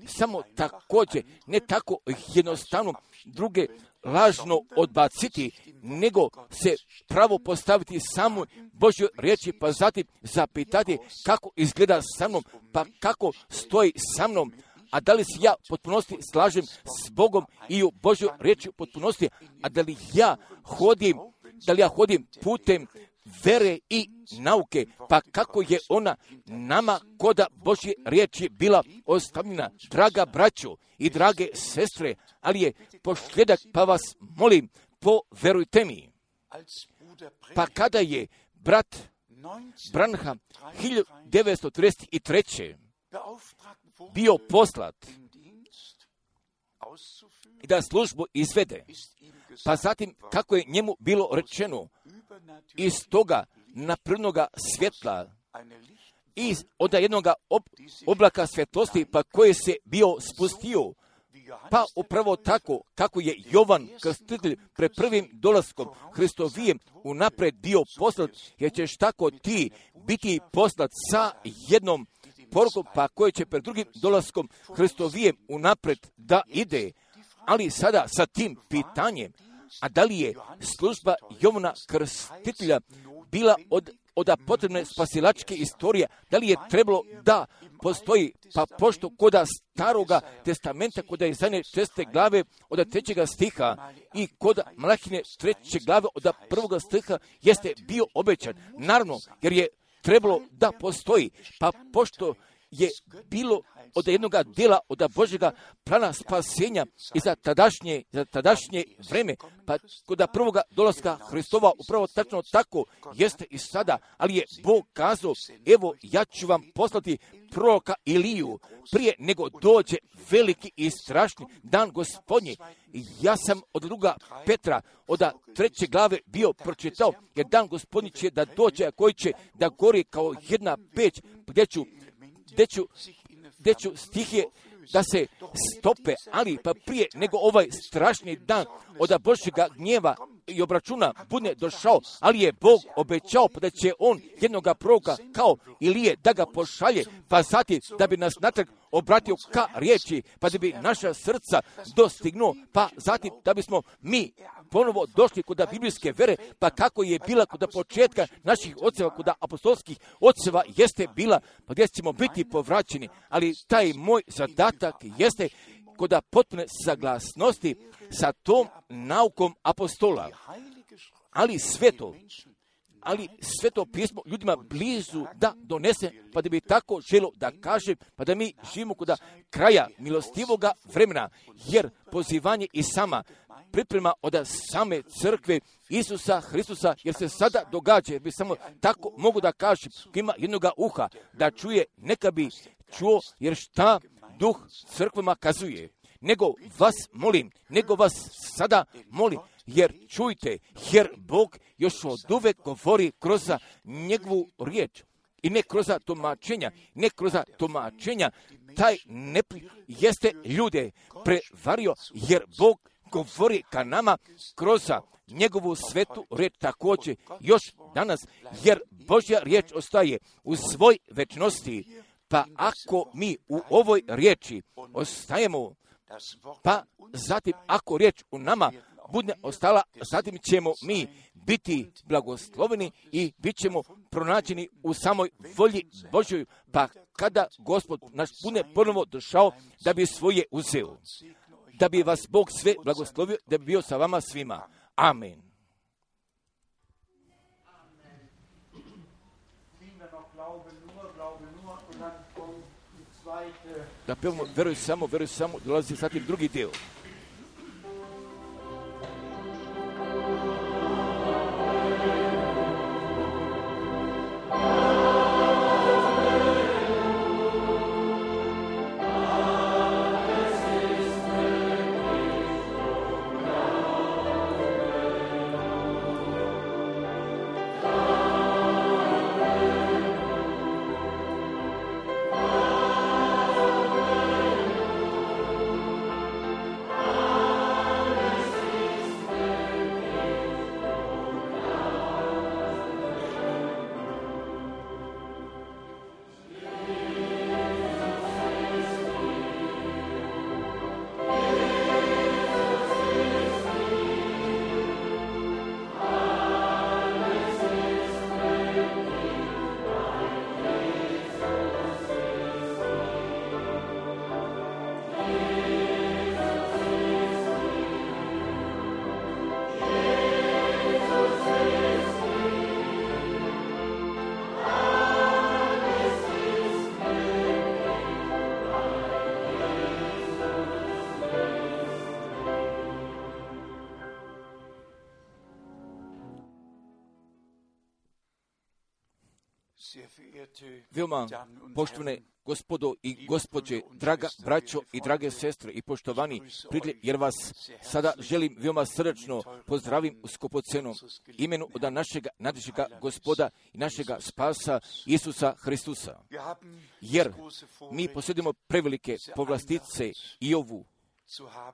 Samo također, ne tako jednostavno druge lažno odbaciti, nego se pravo postaviti samo Božjoj riječi, pa zatim zapitati kako izgleda sa mnom, pa kako stoji sa mnom, a da li se ja potpunosti slažem s Bogom i u Božjoj riječi u potpunosti, a da li ja hodim putem vere i nauke, pa kako je ona nama koda Božje riječi bila ostavljena, draga braćo i drage sestre, ali je posljedak, pa vas molim, poverujte mi. Pa kada je brat Branham 1933. bio poslat i da službu izvede, pa zatim kako je njemu bilo rečeno iz toga naprednoga svjetla, iz od jednog oblaka svjetlosti, pa koje se bio spustio, pa upravo tako kako je Jovan Krstitelj pred prvim dolaskom Hristovijem unapred bio poslat, jer ćeš tako ti biti poslat sa jednom porukom, pa koje će pred drugim dolaskom Hristovijem unapred da ide. Ali sada sa tim pitanjem, a da li je služba Jovana Krstitelja bila od potrebne spasilačke istorije, da li je trebalo da postoji, pa pošto koda staroga testamenta, koda je zadnje 6. glave od 3. stiha i koda Malahine 3. glave od 1. stiha jeste bio obećan. Naravno, jer je trebalo da postoji, pa pošto je bilo od jednog dela od Božjega plana spasenja i za tadašnje vreme, pa kod prvoga dolaska Hristova upravo tačno tako jeste i sada, ali je Bog kazao, evo ja ću vam poslati proroka Iliju prije nego dođe veliki i strašni dan Gospodnji. Ja sam od 2. Petra od 3. glave bio pročitao, jer dan Gospodnji će da dođe, a koji će da gori kao jedna peć, gdje ću stihije da se stope, ali pa prije nego ovaj strašni dan od Božjega gnjeva i obračuna bude došao, ali je Bog obećao pa da će on jednoga proroka kao Ilije da ga pošalje, pa zatim da bi nas natrag obratio ka riječi, pa da bi naša srca dostignuo, pa zatim da bismo mi ponovo došli kod biblijske vere, pa kako je bila kod početka naših oceva, kod apostolskih oceva jeste bila, pa gdje ćemo biti povraćeni, ali taj moj zadatak jeste kod potpune saglasnosti sa tom naukom apostola. Ali sveto pismo ljudima blizu da donese, pa da bi tako želo da kažem, pa da mi živimo kod kraja milostivoga vremena, jer pozivanje i sama priprema od same crkve Isusa Hristusa, jer se sada događa, jer bi samo tako mogu da kažem, ko ima jednoga uha da čuje, neka bi čuo, jer šta duh crkvama kazuje. Nego vas sada molim, jer čujte, jer Bog još od uvek govori kroz njegovu riječ. I ne kroz tumačenja, taj jeste ljude prevario, jer Bog govori ka nama kroz njegovu svetu riječ također još danas, jer Božja riječ ostaje u svoj večnosti, Pa ako mi u ovoj riječi ostajemo, pa zatim ako riječ u nama bude ostala, zatim ćemo mi biti blagosloveni i bit ćemo pronađeni u samoj volji Božjoj, pa kada Gospod naš bude ponovo došao da bi svoje uzeo, da bi vas Bog sve blagoslovio, da bi bio sa vama svima. Amen. Da pevamo veruj samo, dolazi zatim drugi dio. Veoma poštovane gospodo i gospođe, draga braćo i drage sestre i poštovani prijatelji, jer vas sada želim veoma srdačno pozdravim u skupocenom imenu od našega najvećega Gospoda i našega spasa Isusa Hristusa. Jer mi posjedimo prevelike povlastice i ovu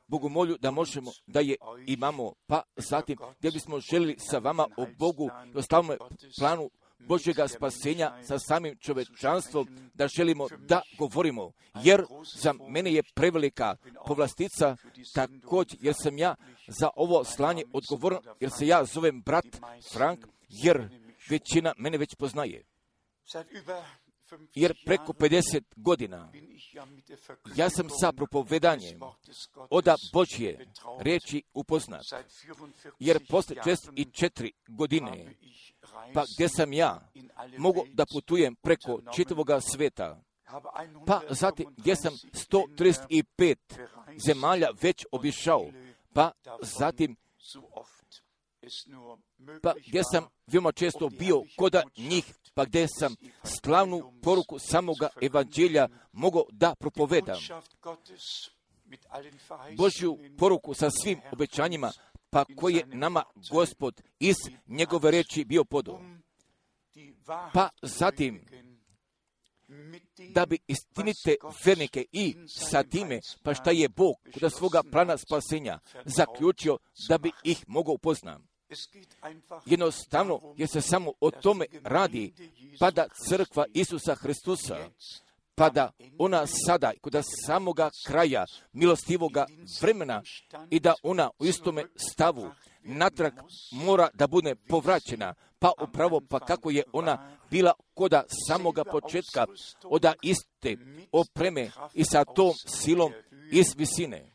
Bogomolju da možemo da je imamo, pa zatim gdje bismo želili sa vama o Bogu i o slavnom planu Božjega spasenja sa samim čovečanstvom da želimo da govorimo, jer za mene je prevelika povlastica također, jer sam ja za ovo slanje odgovoran, jer se ja zovem brat Frank, jer većina mene već poznaje. Jer preko 50 godina ja sam sa propovedanjem oda Božje riječi upoznat, jer posle 64 godine, pa gdje sam ja mogu da putujem preko čitavoga sveta, pa zatim gdje sam 135 zemalja već obišao, pa zatim pa gdje sam veoma često bio koda njih, pa gdje sam slavnu poruku samoga evanđelja mogao da propovedam. Božju poruku sa svim obećanjima, pa koje je nama Gospod iz njegove reči bio podao. Pa zatim, da bi istinite vernike i sa time, pa šta je Bog kod svoga plana spasenja zaključio da bi ih mogao upoznati. Jednostavno, jer se samo o tome radi, pa da crkva Isusa Hristusa, pa da ona sada, kod samoga kraja milostivoga vremena i da ona u istome stavu natrag mora da bude povraćena, pa upravo pa kako je ona bila koda samoga početka oda iste opreme i sa tom silom iz visine.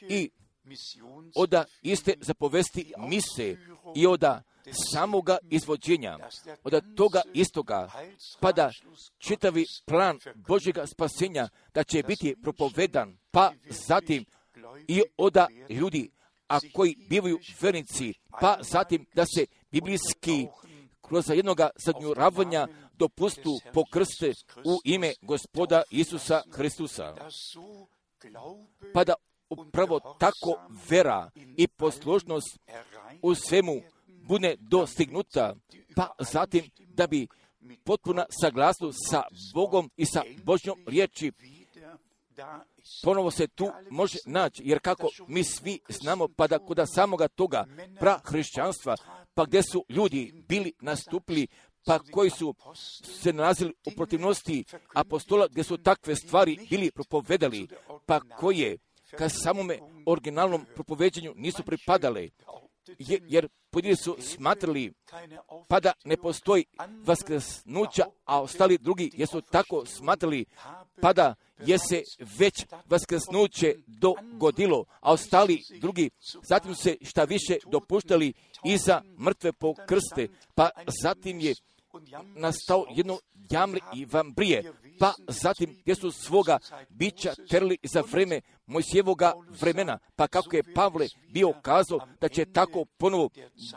I oda iste zapovesti mise i oda samoga izvođenja, od toga istoga, pa da čitavi plan Božjega spasenja da će biti propovedan, pa zatim i oda ljudi, a koji bivaju vernici, pa zatim da se biblijski kroz jednoga zadnjuravanja dopustu pokrste u ime Gospoda Isusa Hristusa. Pa da upravo tako vera i poslušnost u svemu bude dostignuta, pa zatim da bi potpuna saglasnost sa Bogom i sa Božjom riječi ponovo se tu može naći, jer kako mi svi znamo, pa da kod samoga toga prahrišćanstva, pa gdje su ljudi bili nastupili pa koji su se nalazili u protivnosti apostola, gdje su takve stvari bili propovedali, pa koje ka samome originalnom propoveđenju nisu pripadale, jer pojedini su smatrali pa da ne postoji vaskrsnuća, a ostali drugi jesu tako smatrali pa da je se već vaskrsnuće dogodilo, a ostali drugi zatim se šta više dopuštali iza mrtve pokrste, pa zatim je nastao jedno jamre i vambrije, pa zatim gdje su svoga bića terli za vreme Mojsijevoga vremena, pa kako je Pavle bio kazao da će tako ponovo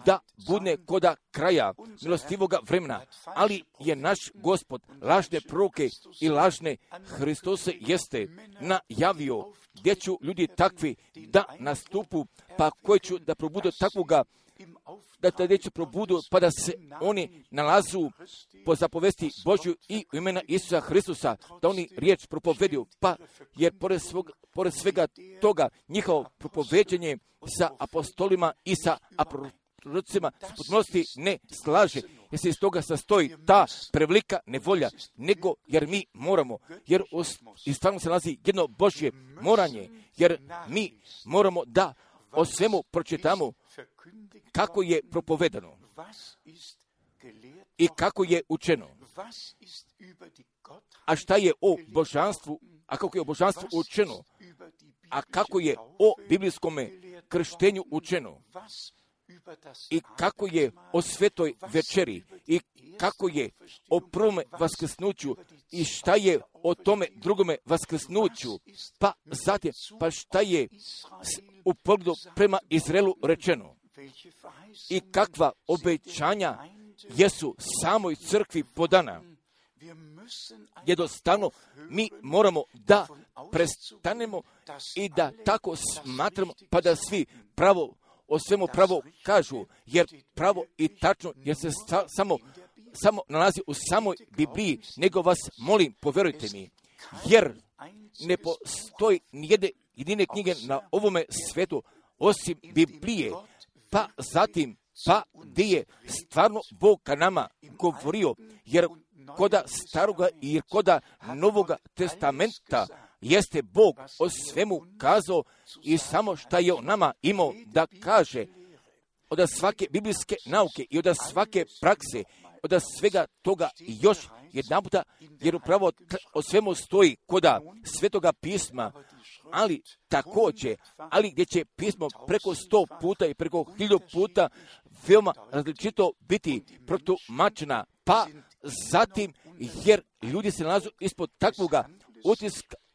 da bude koda kraja milostivoga vremena, ali je naš Gospod lažne proroke i lažne Hristose jeste najavio gdje ću ljudi takvi da nastupu, pa koji ću da probudu takvoga, da tada će probudu, pa da se oni nalazu po zapovesti Božju i u imena Isusa Hristusa, da oni riječ propoveduju, pa jer pored svega toga njihovo propoveđenje sa apostolima i sa prorocima potpunosti ne slaže, jer se iz toga sastoji ta prevelika nevolja, nego jer mi moramo, jer i stvarno se nalazi jedno Božje moranje, jer mi moramo da o svemu pročitamo kako je propovedano i kako je učeno, a šta je o božanstvu, a kako je o božanstvu učeno, a kako je o biblijskome krštenju učeno, i kako je o svetoj večeri, i kako je o prvome vaskrsnuću, i šta je o tome drugome vaskrsnuću, pa zatim, pa šta je u pogledu prema Izraelu rečeno, i kakva obećanja jesu samoj crkvi podana. Jednostavno, mi moramo da prestanemo i da tako smatramo, pa da svi pravo o svemu pravo kažu, jer pravo i tačno, jer se samo nalazi u samoj Bibliji, nego vas molim, povjerujte mi, jer ne postoji nijedne jedine knjige na ovome svetu osim Biblije, pa zatim, pa gdje je stvarno Bog ka nama govorio, jer koda staroga i koda novoga testamenta jeste Bog o svemu kazao i samo šta je o nama imao da kaže, od svake biblijske nauke i od svake prakse, od svega toga još jedanputa, jer upravo o svemu stoji koda Svetoga pisma, ali također, ali gdje će pismo preko 100 puta i preko 1000 puta veoma različito biti protumačena, pa zatim, jer ljudi se nalazu ispod takvoga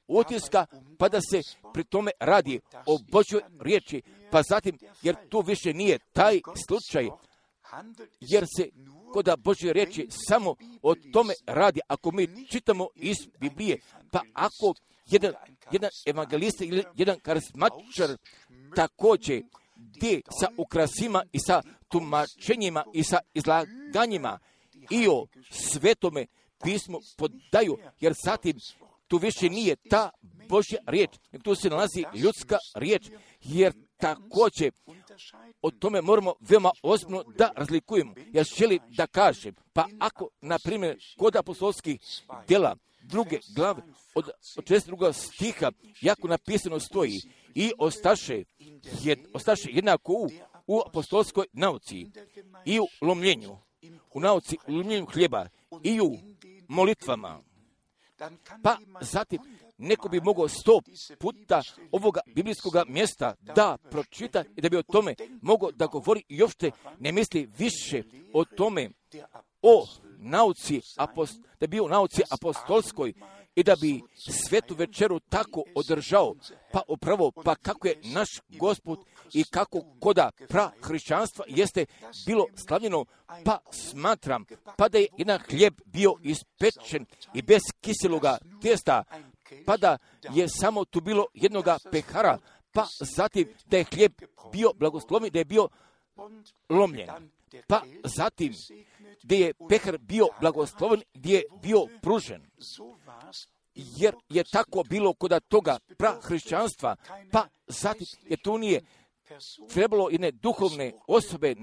utiska, pa da se pri tome radi o Božjoj riječi, pa zatim, jer to više nije taj slučaj, jer se koda Božje riječi samo o tome radi, ako mi čitamo iz Biblije, pa ako jedan evangelista ili jedan karizmatičar također gdje sa ukrasima i sa tumačenjima i sa izlaganjima i o svetome pismu podaju, jer zatim tu više nije ta Božja riječ, nego tu se nalazi ljudska riječ, jer također o tome moramo veoma ozbiljno da razlikujemo. Ja želim da kažem, pa ako, na primjer, kod apostolskih djela, 2. glave, od 42. stiha, jako napisano stoji, i ostaše jednako u apostolskoj nauci, i u lomljenju, u nauci, u lomljenju hljeba, i u molitvama. Pa zatim, neko bi mogao 100 puta ovoga biblijskog mjesta da pročita i da bi o tome mogao da govori i uopšte ne misli više o tome, o nauci, da bi o nauci apostolskoj i da bi svetu večeru tako održao, pa upravo, pa kako je naš Gospod i kako koda hrišćanstva jeste bilo slavljeno, pa smatram, pa da je jedan hljeb bio ispečen i bez kiseloga testa, pa da je samo tu bilo jednoga pehara, pa zatim da je hljeb bio blagosloven, da je bio lomljen, pa zatim gdje je pehar bio blagosloven, gdje je bio pružen. Jer je tako bilo kod toga hrišćanstva, pa zatim je tu nije trebalo jedne duhovne osobe,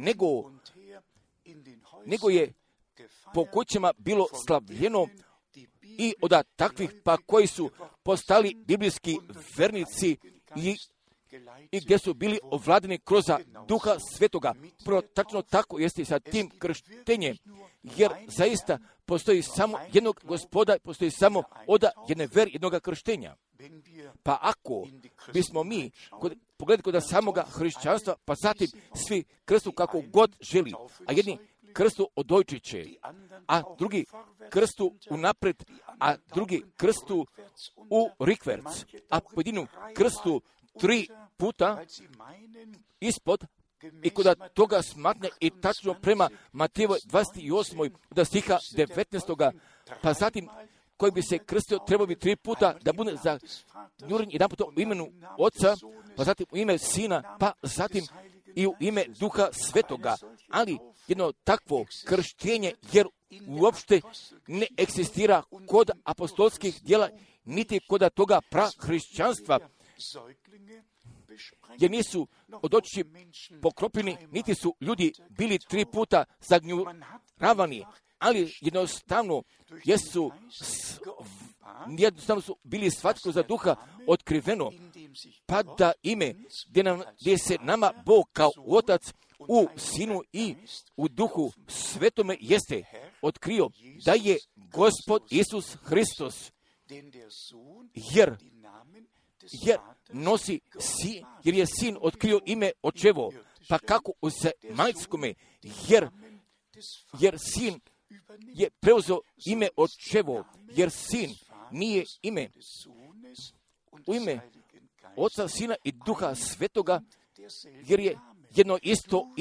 nego je po kućama bilo slavljeno i od takvih pa koji su postali biblijski vernici i gdje su bili ovladani kroz Duha Svetoga. Prvo, tačno tako jeste sa tim krštenjem, jer zaista postoji samo jednog Gospoda, postoji samo od jedne vere, jednoga krštenja. Pa ako bismo mi pogledali kod samoga hrišćanstva, pa zatim svi krstu kako god želi, a jedni krstu od dojčiće, a drugi krstu unapred, a drugi krstu u rikverc, a pojedinu krstu 3 puta ispod i kod toga smatne i tačno prema Matejevoj 28. od stiha 19. pa zatim koji bi se krstio trebao bi 3 puta da bude zanuren jedan put u imenu Oca, pa zatim u ime Sina, pa zatim i u ime Duha Svetoga. Ali jedno takvo krštenje, jer uopšte ne eksistira kod apostolskih djela, niti kod toga prahrišćanstva, jer nisu od oči pokropljeni, niti su ljudi bili 3 puta zagnjuravani, ali jednostavno su bili svatko za Duha otkriveno, pa da ime gdje se nama Bog kao Otac u Sinu i u Duhu Svetome jeste otkrio da je Gospod Isus Hristos, jer nosi jer je Sin otkrio ime Očevo, pa kako u majskome, jer Sin je preuzeo ime Očevo, jer Sin nije ime u ime Oca, Sina i Duha Svetoga, jer je jedno isto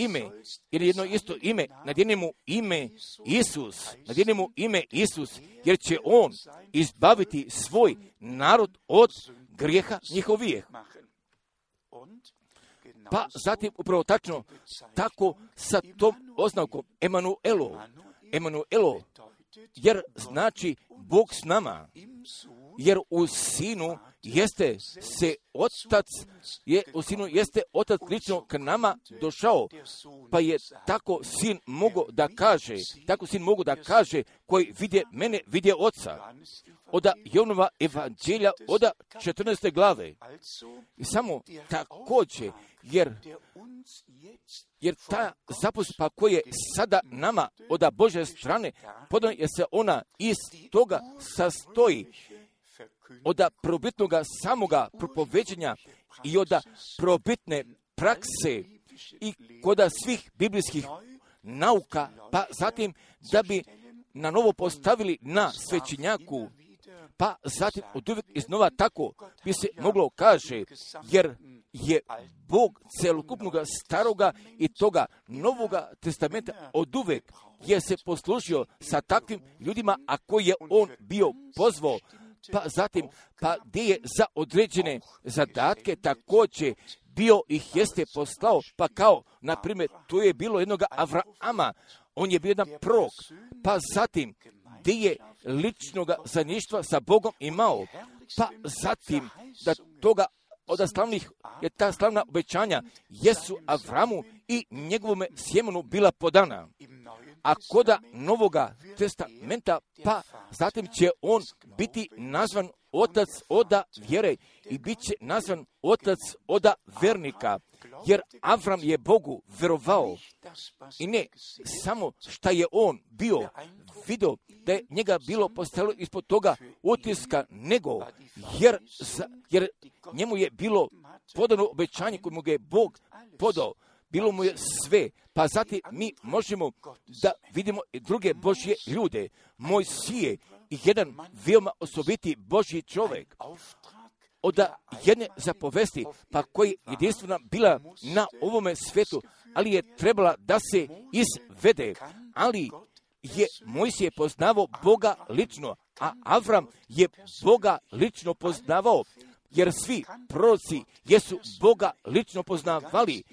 ime, nadjenemo ime Isus, jer će On izbaviti svoj narod od grijeha njihovih. Pa zatim upravo tačno tako sa tom oznakom Emanuelo, jer znači Bog s nama, jer u Sinu jeste Otac lično k nama došao, pa je tako Sin mogu da kaže, koji vidje mene, vidje Oca. Od Jovanova evanđelja, od 14. glave. I samo također, jer ta zaposlepa koja je sada nama od Božje strane, podano je se ona iz toga sastoji, od probitnog samoga propoveđenja i od probitne prakse i kod svih biblijskih nauka, pa zatim da bi na novo postavili na svećenjaku, pa zatim od uvijek iznova tako bi se moglo kaže, jer je Bog celokupnog staroga i toga novoga testamenta od uvijek je se poslužio sa takvim ljudima, a koji je on bio pozvao, pa zatim, pa gdje je za određene zadatke također bio ih jeste poslao, pa kao, na primjer, tu je bilo jednog Avrama, on je bio jedan prorok, pa zatim, gdje je ličnog zajedništva sa Bogom imao, pa zatim, da toga od slavnih, je ta slavna obećanja jesu Avramu i njegovome sjemenu bila podana. A koda Novoga testamenta, pa zatim će on biti nazvan Otac oda vjere i bit će nazvan Otac oda vernika, jer Avram je Bogu verovao i ne samo šta je on bio vidio da je njega bilo postavilo ispod toga utiska, nego jer njemu je bilo podano obećanje koje mu ga je Bog podao, bilo mu je sve, pa zatim mi možemo da vidimo i druge Božje ljude. Mojsije i jedan veoma osobiti Božji čovjek od jedne zapovesti, pa koji jedinstvena bila na ovome svijetu, ali je trebala da se izvede, ali je Mojsije poznavao Boga lično, a Avram je Boga lično poznavao, jer svi proroci jesu Boga lično poznavali,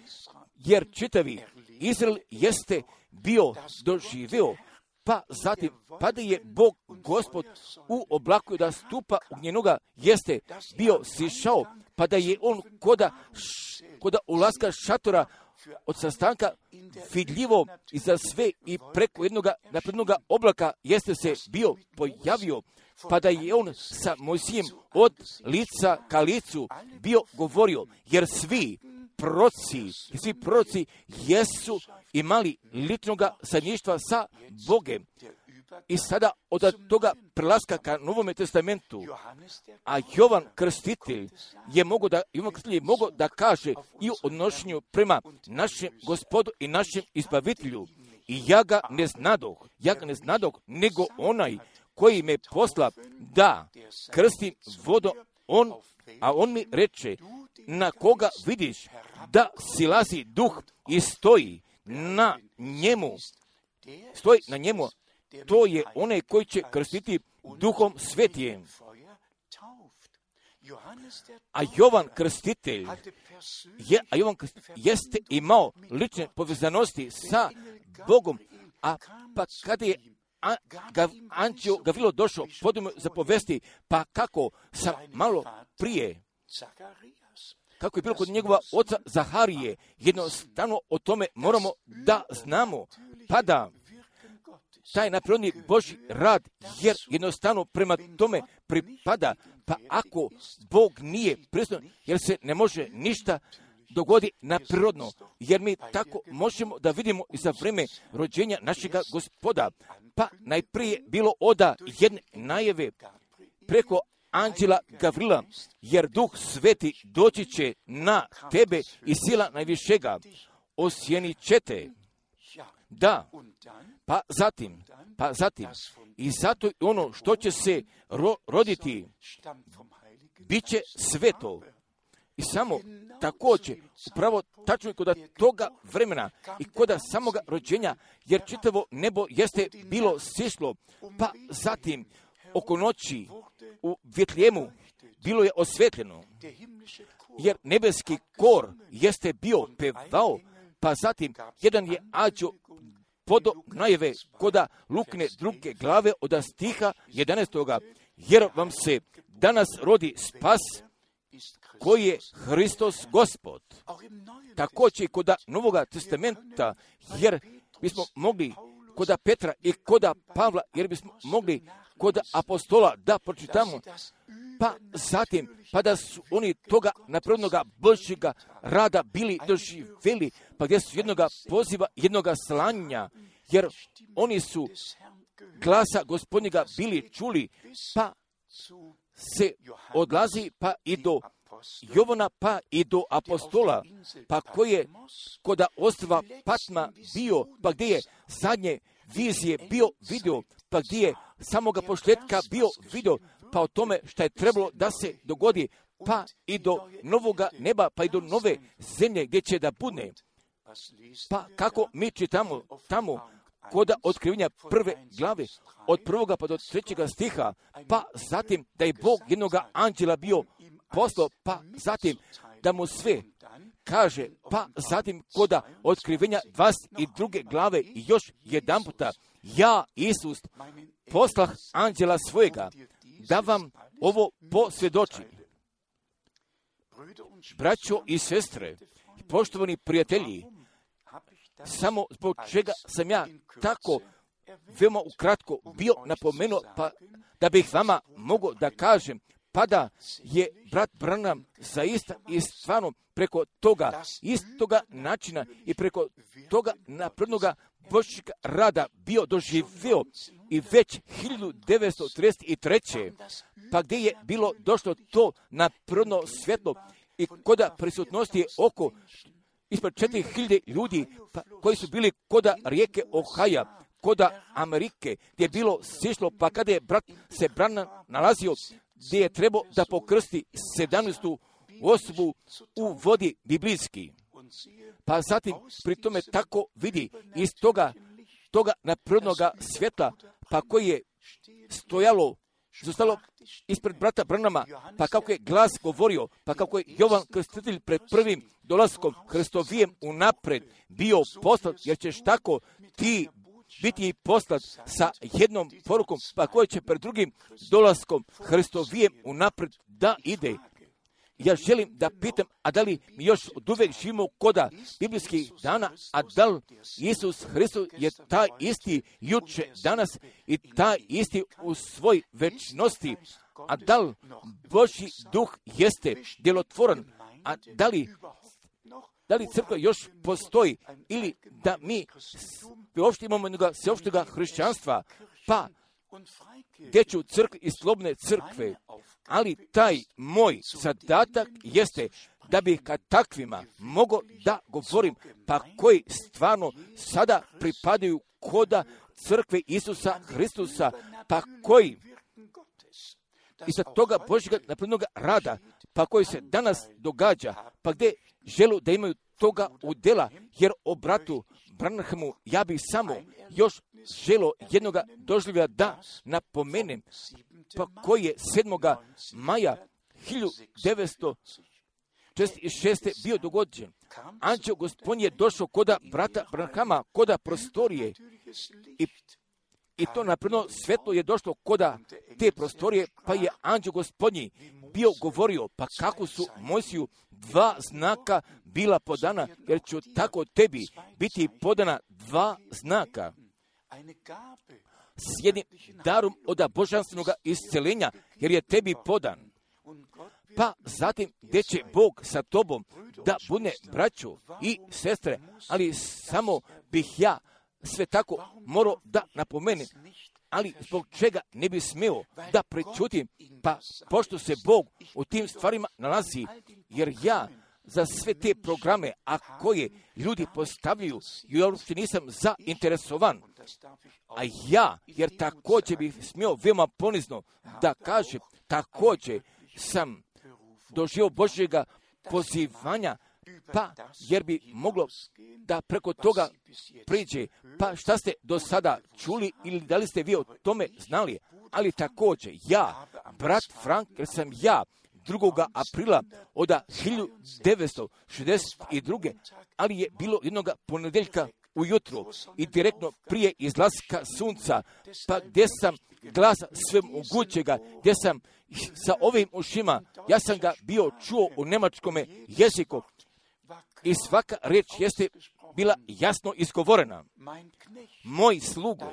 jer čitavi Izrael jeste bio doživio, pa zatim, pa da je Bog Gospod u oblaku da stupa u njenoga jeste bio sišao, pa da je on koda ulaska šatora od sastanka vidljivo i za sve i preko jednoga naprednoga oblaka jeste se bio pojavio, pa da je on sa Mojsijem od lica ka licu bio govorio, jer svi proroci jesu imali ličnoga zajedništva sa Bogem. I sada od toga prelaska ka Novome testamentu, a Jovan Krstitelj je mogao da kaže i o odnošenju prema našem Gospodu i našem Izbavitelju. I ja ga ne znadoh, nego onaj koji me posla da krstim vodom, on mi reče, na koga vidiš da silazi duh i stoji na njemu, to je onaj koji će krstiti Duhom Svetijem. A Jovan Krstitelj jeste imao lične povezanosti sa Bogom, a pa kada je Anđeo Gavrilo došao podom zapovesti, pa kako sam malo prije, kako je bilo kod njegova oca Zaharije, jednostavno o tome moramo da znamo, pa da taj napredni Božji rad, jer jednostavno prema tome pripada, pa ako Bog nije prisutan, jer se ne može ništa dogodi naprirodno, jer mi tako možemo da vidimo i za vreme rođenja našega Gospoda, pa najprije bilo oda jedne najave preko Anđela Gavrila, jer Duh Sveti doći će na tebe i sila najvišega osjenit će te. Da, pa zatim, i zato ono što će se roditi, bit će sveto. I samo također, upravo tačno je kod toga vremena i kod samoga rođenja, jer čitavo nebo jeste bilo sišlo, pa zatim oko noći u Vitlejemu bilo je osvetljeno, jer nebeski kor jeste bio pevao, pa zatim jedan je anđeo podo najave koda Lukine druge glave od stiha 11. Jer vam se danas rodi spas koji je Hristos Gospod. Također kod Novoga testamenta, jer bismo mogli kod Petra i kod Pavla, jer bismo mogli kod apostola da pročitamo, pa zatim, pa da su oni toga naprednoga Božjega rada bili doživjeli, pa gdje su jednoga poziva, jednoga slanja, jer oni su glasa Gospodnjega bili čuli, pa se odlazi pa i do Jovana, pa i do apostola, pa koji je kod ostrva Patma bio, pa gdje je zadnje vizije bio vidio, pa gdje je samoga pošljetka bio vidio, pa o tome što je trebalo da se dogodi, pa i do novoga neba, pa i do nove zemlje gdje će da bude. Pa kako mi čitamo tamo kod otkrivenja prve glave, od 1. pa do 3. stiha, pa zatim da je Bog jednoga anđela bio poslao, pa zatim da mu sve kaže, pa zatim kod otkrivenja 22. glave i još jedan puta, ja, Isus, poslah anđela svojega, da vam ovo posvjedočim. Braćo i sestre, poštovani prijatelji, samo zbog čega sam ja tako veoma ukratko bio napomenuo, pa da bih vama mogao da kažem, pa da je brat Branham zaista i stvarno preko toga istoga načina i preko toga naprednoga Božjega rada bio doživio i već 1933. pa gdje je bilo došlo to napredno svjetlo i kod prisutnosti je oko ispred 4000 ljudi pa, koji su bili kod rijeke Ohaja, kod Amerike, gdje je bilo sišlo, pa kada je brat se Branham nalazio, gdje je trebao da pokrsti 17. osobu u vodi biblijski. Pa zatim pri tome tako vidi iz toga naprednoga svjetla, pa koji je zostalo ispred brata Branhama, pa kako je glas govorio, pa kako je Jovan Krstitelj pred prvim dolaskom Hristovijem unapred bio poslat, jer ćeš tako ti biti poslat sa jednom porukom, pa koji će pred drugim dolaskom Hristovijem unapred da ide. ja želim da pitam, a da li mi još od uvek živimo koda biblijskih dana, a da li Isus Hristos je taj isti juče, danas i taj isti u svoj večnosti, a da li Božji duh jeste djelotvoran, a da li crkva još postoji ili da mi uopšte imamo jednoga sveopštega hrišćanstva, pa dječju crkvu i slobodne crkve, ali taj moj zadatak jeste da bih kad takvima mogao da govorim, pa koji stvarno sada pripadaju koda crkve Isusa Hristusa, pa koji iza toga Božjega naprednoga rada, pa koji se danas događa, pa gdje želu da imaju toga udjela, jer o bratu Branhamu ja bih samo još želo jednoga doživlja da napomenem, pa koji je 7. maja 1946. bio dogođen. Anđeo Gospodin je došao koda brata Branhama, koda prostorije i to napredno svetlo je došlo koda te prostorije, pa je Anđeo Gospodin bio govorio, pa kako su Mojsiju 2 znaka bila podana, jer ću tako tebi biti podana 2 znaka. S jednim darom od božanstvenog isceljenja, jer je tebi podan. Pa zatim gdje će Bog sa tobom da bude braćo i sestre, ali samo bih ja sve tako morao da napomenem, ali zbog čega ne bi smio da prečutim, pa pošto se Bog u tim stvarima nalazi, jer ja za sve te programe, a koje ljudi postavljaju, ja uopšte nisam zainteresovan. A ja, jer također bih smio veoma ponizno da kažem, također sam doživio Božjega pozivanja, pa jer bi moglo da preko toga priđe, pa šta ste do sada čuli ili da li ste vi o tome znali, ali također ja, brat Frank, jer sam ja 2. aprila od 1962. ali je bilo jednog ponedjeljka ujutro i direktno prije izlaska sunca, pa gdje sam glas svemogućega, gdje sam sa ovim ušima, ja sam ga bio čuo u njemačkome jeziku i svaka riječ jeste bila jasno izgovorena. Moj slugo,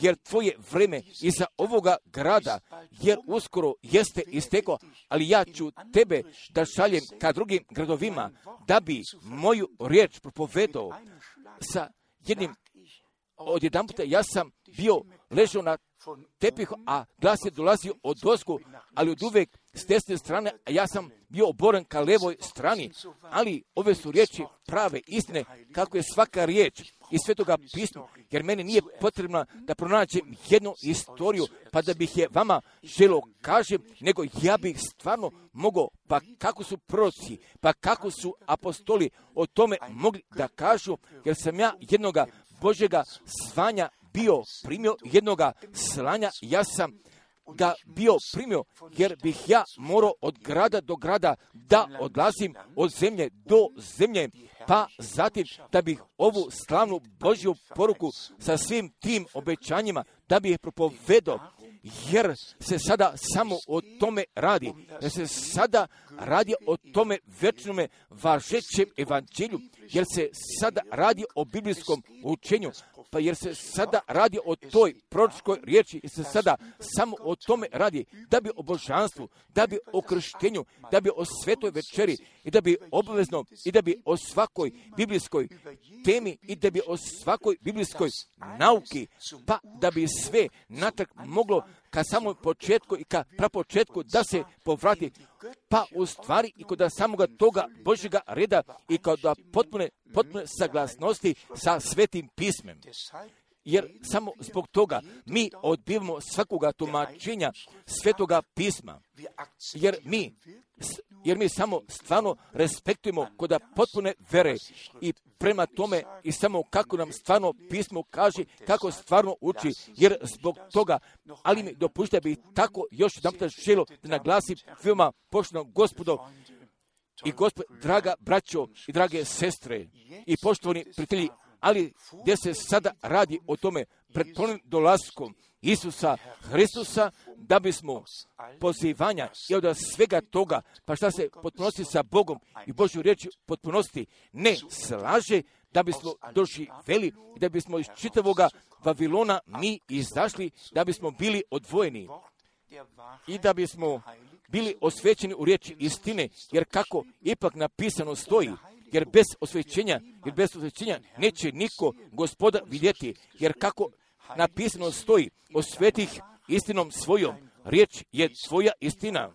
jer tvoje vreme iza ovoga grada, jer uskoro jeste isteklo, ali ja ću tebe da šaljem ka drugim gradovima, da bi moju riječ propovedao sa jednim. Odjedan puta ja sam bio ležao na tepihu, a glas je dolazio od ozgo, ali od uvek s desne strane, a ja sam bio oboren ka levoj strani, ali ove su riječi prave istine, kako je svaka riječ iz Svetoga pisma, jer meni nije potrebno da pronađem jednu istoriju, pa da bih je vama želo kažem, nego ja bih stvarno mogao, pa kako su proroci, pa kako su apostoli o tome mogli da kažu, jer sam ja jednoga Božjega zvanja bio primio, jednoga slanja, ja sam ga bio primio, jer bih ja morao od grada do grada da odlazim od zemlje do zemlje, pa zatim da bih ovu slavnu Božju poruku sa svim tim obećanjima, da bih je propovedao, jer se sada samo o tome radi, jer se sada radi o tome večnome važećem evanđelju, jer se sada radi o biblijskom učenju, pa jer se sada radi o toj proročkoj riječi, jer se sada samo o tome radi, da bi o božanstvu, da bi o krštenju, da bi o svetoj večeri i da bi obavezno i da bi o svakoj biblijskoj temi i da bi o svakoj biblijskoj nauki, pa da bi sve natrag moglo ka samom početku i ka prapočetku da se povrati, pa u stvari i kod samoga toga Božjega reda i kod potpune saglasnosti sa Svetim pismem. Jer samo zbog toga mi odbivamo svakoga tumačenja Svetoga pisma. Jer mi samo stvarno respektujemo kod potpune vere i prema tome i samo kako nam stvarno pismo kaže, kako stvarno uči, jer zbog toga, ali mi dopušta bi tako još jedan puta želo da naglasim veoma poštovano Gospodo i draga braćo i drage sestre i poštovani prijatelji, ali gdje se sada radi o tome pred ponovnim dolaskom, Isusa Hristusa, da bismo pozivanja i od svega toga, pa šta se potpunosti sa Bogom i Božju riječi potpunosti ne slaže, da bismo doživeli i da bismo iz čitavoga Vavilona mi izašli, da bismo bili odvojeni i da bismo bili osvećeni u riječi istine, jer kako ipak napisano stoji, jer bez osvećenja neće niko Gospoda vidjeti, jer kako napisano stoji, osvetih istinom svojom, riječ je tvoja istina.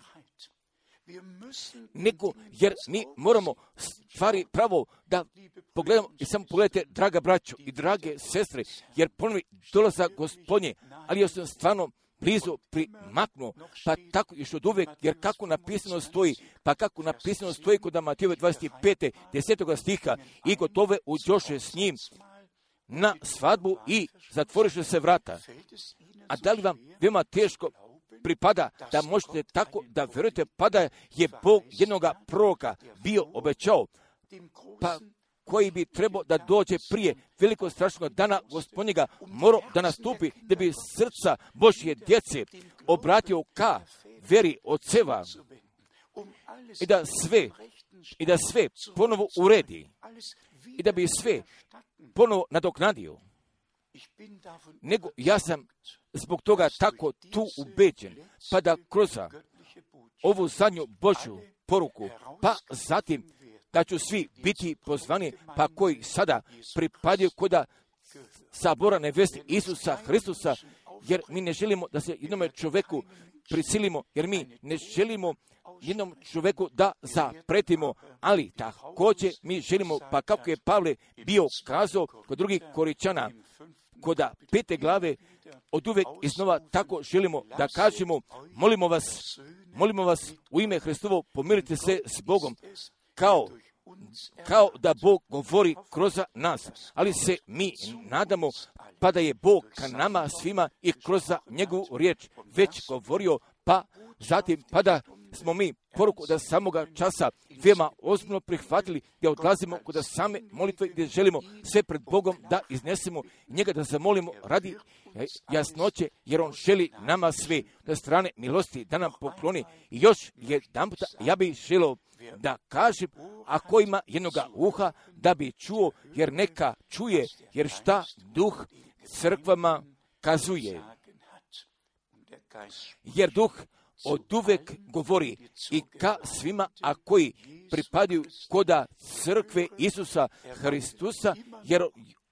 Nego, jer mi moramo stvari pravo da pogledamo i samo pogledajte, draga braćo i drage sestre, jer ponovi dolazak Gospodnje, ali ja sam stvarno blizu primaknuo, pa tako još od uvijek, jer kako napisano stoji kod Matejove 25. 10. stiha, i gotove uđoše s njim na svadbu i zatvoriše se vrata. A da li vam veoma teško pripada da možete tako da vjerujete, pa da je Bog jednoga proroka bio obećao, pa koji bi trebao da dođe prije velikog strašnog dana Gospodnjega, morao da nastupi, da bi srca Božje djece obratio ka veri oceva i da sve ponovo uredi i da bi sve ponovo nadoknadio. Nego ja sam zbog toga tako tu ubeđen, pa da kroz ovu zadnju Božju poruku, pa zatim da ću svi biti pozvani, pa koji sada pripadaju koda sabora nevesti Isusa Hristusa, jer mi ne želimo da se jednome čovjeku prisilimo, jer mi ne želimo jednom čovjeku da zapretimo, ali također mi želimo, pa kako je Pavle bio kazao kod drugih Koričana, kod 5. glave, od uvijek iznova tako želimo da kažemo, molimo vas u ime Hristovo, pomirite se s Bogom, kao da Bog govori kroz nas, ali se mi nadamo pa da je Bog ka nama svima i kroz njegovu riječ već govorio, pa zatim pa da smo mi poruku da samoga časa veoma ozbiljno prihvatili, gdje odlazimo kod same molitve, gdje želimo sve pred Bogom da iznesemo, njega da zamolimo radi jasnoće, jer on želi nama sve na strane milosti da nam pokloni. I još jedanputa ja bih želio da kažem, ako ima jednoga uha, da bi čuo, jer neka čuje, jer šta duh crkvama kazuje. Jer duh od uvek govori i ka svima, a koji pripadaju koda crkve Isusa Hristusa,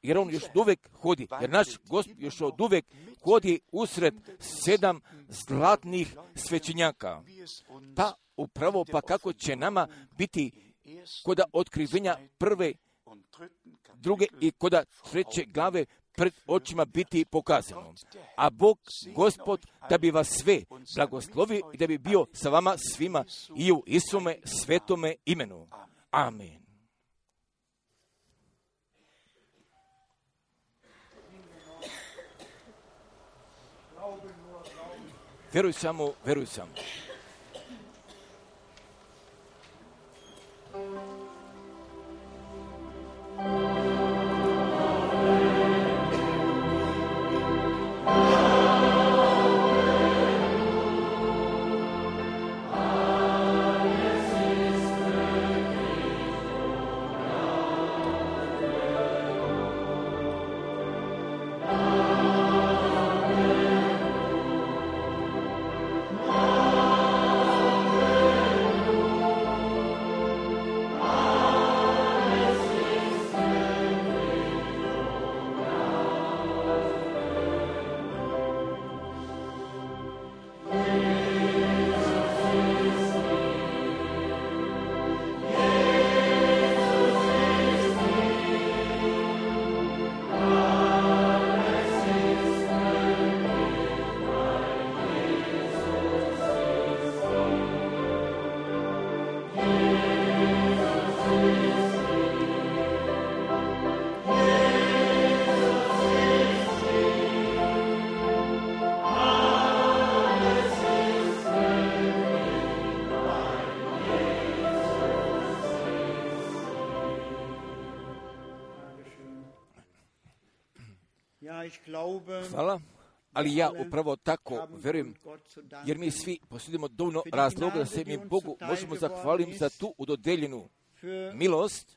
jer on još od uvek hodi, jer naš Gospod još od uvek hodi usred 7 zlatnih svećenjaka. Pa upravo pa kako će nama biti koda otkrivenja 1., 2. i koda 3. glave pred očima biti pokazano. A Bog, Gospod, da bi vas sve blagoslovio i da bi bio sa vama svima i u Isome svetome imenu. Amen. Veruj samo, veruj samo. Hvala. ali ja upravo tako verujem, jer mi svi posjedimo dovoljno razloga da se mi Bogu možemo zahvaliti za tu udodeljenu milost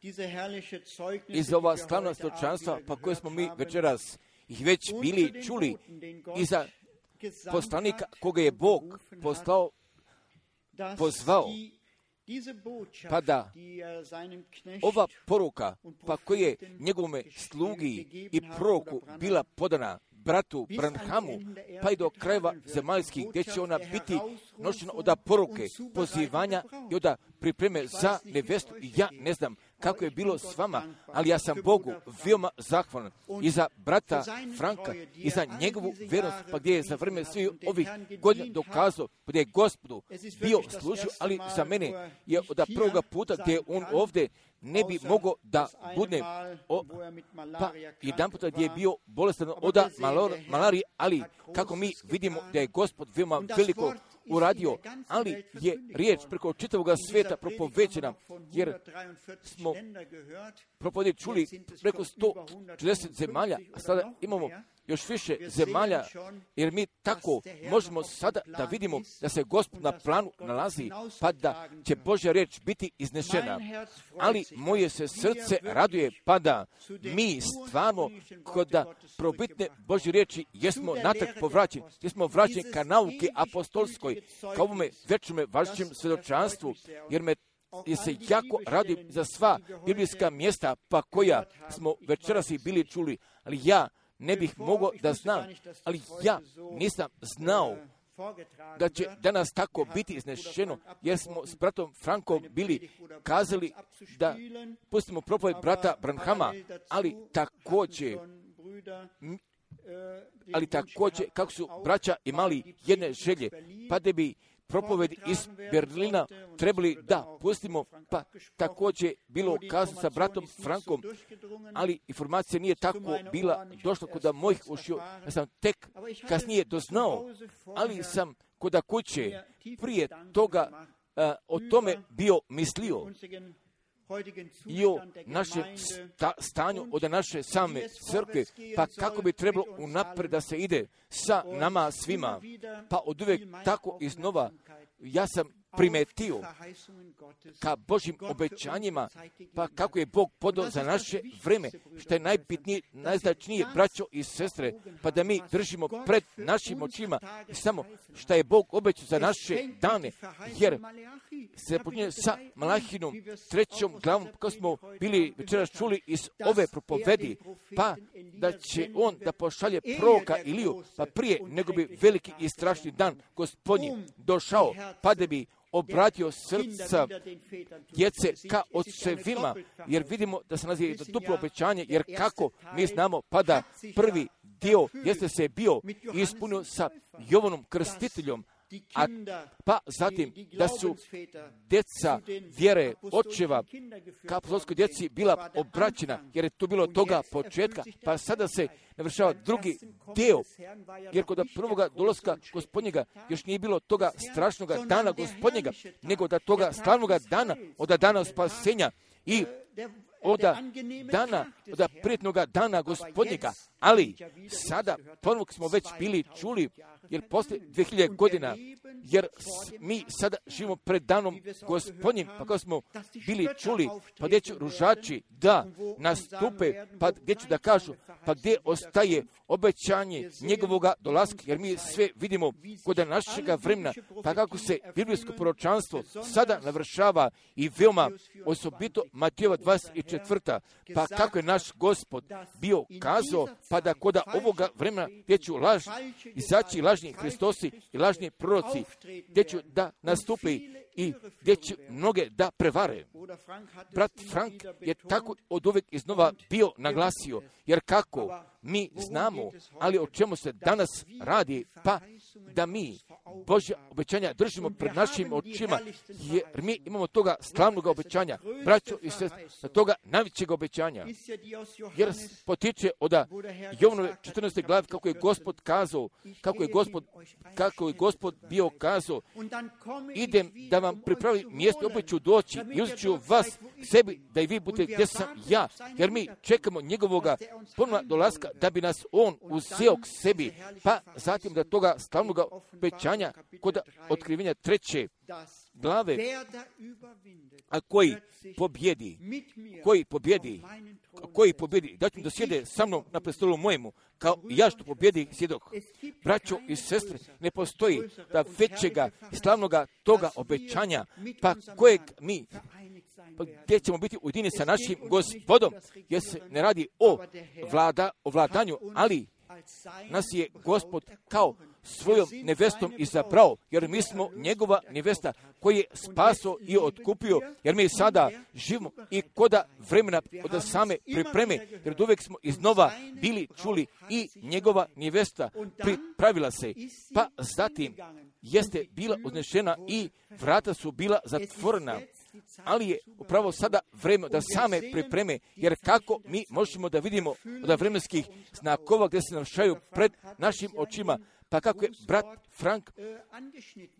i za ova slavna svjedočanstva pa koje smo mi večeras ih već bili čuli i za poslanika koga je Bog pozvao, pa da ova poruka pa koja je njegovome slugi i proroku bila podana bratu Branhamu, pa i do krajeva zemaljskih, gdje će ona biti nošena od poruke, pozivanja i od pripreme za nevestu. I ja ne znam kako je bilo s vama, ali ja sam Bogu veoma zahvalan i za brata Franka i za njegovu vjernost, pa gdje je za vrijeme svih ovih godina dokazao, gdje je Gospodu bio služio, ali za mene je od prvoga puta gdje je on ovdje ne bi mogao da bude pa jedan puta gdje je bio bolestan od malarije, ali kako mi vidimo da je Gospod veoma veliko uradio, ali je riječ preko čitavog svijeta propovećena, jer smo propovjedi čuli preko 140 zemalja, a sada imamo još više zemalja, jer mi tako možemo sada da vidimo da se Gospod na planu nalazi, pa da će Božja riječ biti iznešena. Ali moje se srce raduje, pa da mi stvarno kod probitne Božje riječi jesmo natrag povraćeni, jesmo vraćeni ka nauke apostolskoj, ka ovome večnome važećem svjedočanstvu, jer se jako radim za sva biblijska mjesta pa koja smo večeras i bili čuli, ali ja ne bih mogao da znam, ali ja nisam znao da će danas tako biti iznešeno, jer smo s bratom Frankom bili kazali da pustimo propoved brata Branhama, ali također kako su braća imali jedne želje, pa da bi propovedi iz Berlina trebali da pustimo, pa također bilo kazano sa bratom Frankom, ali informacija nije tako bila došla kod mojih ušiju, ja sam tek kasnije doznao, ali sam kod kuće prije toga o tome bio mislio i o našem stanju od naše same crkve, pa kako bi trebalo unaprijed da se ide sa nama svima, pa od uvijek tako iznova ja sam primetio ka Božjim obećanjima, pa kako je Bog podao za naše vreme, što je najbitnije, najznačnije, braćo i sestre, pa da mi držimo pred našim očima samo što je Bog obećao za naše dane, jer se počinje sa Malahinom 3. glavom, kako smo bili večeras čuli iz ove propovedi, pa da će on da pošalje proroka Iliju, pa prije nego bi veliki i strašni dan Gospodnji došao, pa da bi obratio srca djece ka očevima, jer vidimo da se nalazi duplo obećanje, jer kako mi znamo, pa da prvi dio jeste se bio ispunio sa Jovanom Krstiteljom, pa zatim da su djeca vjere očeva ka apostolskoj djeci bila obraćena, jer je tu bilo toga početka, pa sada se navršava drugi dio, jer kod prvoga dolaska Gospodnjega još nije bilo toga strašnoga dana Gospodnjega, nego da toga slavnoga dana, od dana spasenja i od prijetnoga dana Gospodnjega. Ali sada ponovno smo već bili čuli, jer poslije 2000 godina, jer mi sada živimo pred danom Gospodnjim, pa kao smo bili čuli, pa gdje će ružači da nastupe, pa gdje će da kažu, pa gdje ostaje obećanje njegovoga dolaska, jer mi sve vidimo kod našega vremena, pa kako se biblijsko proročanstvo sada navršava i veoma osobito Matejova 24. Pa kako je naš Gospod bio kazao, pa da kod ovoga vremena gdje ću izaći lažni Hristosi i lažni proroci, gdje ću da nastupi i gdje će mnoge da prevare. Brat Frank je tako od uvijek iznova bio naglasio, jer kako mi znamo, ali o čemu se danas radi, pa da mi Božja obećanja držimo pred našim očima, jer mi imamo toga slavnog obećanja, braćo i sestre, toga najvećeg obećanja, jer potiče od Jovanove 14. glave kako je Gospod kazao, kako je Gospod bio kazao, idem da vam pripravi mjesto, opet ću doći i uzet ću vas sebi da i vi budete gdje sam ja, jer mi čekamo njegovoga ponovnog dolaska da bi nas on uzeo k sebi, pa zatim da toga slavnog obećanja kod otkrivenja 3. glave, a koji pobjedi, da ću da sjede sa mnom na prestolu mojemu, kao i ja što pobjedi sjedoh. Braćo i sestre, ne postoji da većega i slavnoga toga obećanja, pa kojeg mi, gdje ćemo biti ujedinjeni sa našim Gospodom, jer se ne radi o vladanju, ali nas je Gospod kao svojom nevestom izabrao, jer mi smo njegova nevesta koji je spaso i otkupio, jer mi sada živimo i koda vremena od same pripreme, jer uvijek smo iznova bili čuli i njegova nevesta pripravila se, pa zatim jeste bila uznešena i vrata su bila zatvorena, ali je upravo sada vreme da same pripreme, jer kako mi možemo da vidimo od vremenskih znakova gdje se navršaju pred našim očima, pa kako je brat Frank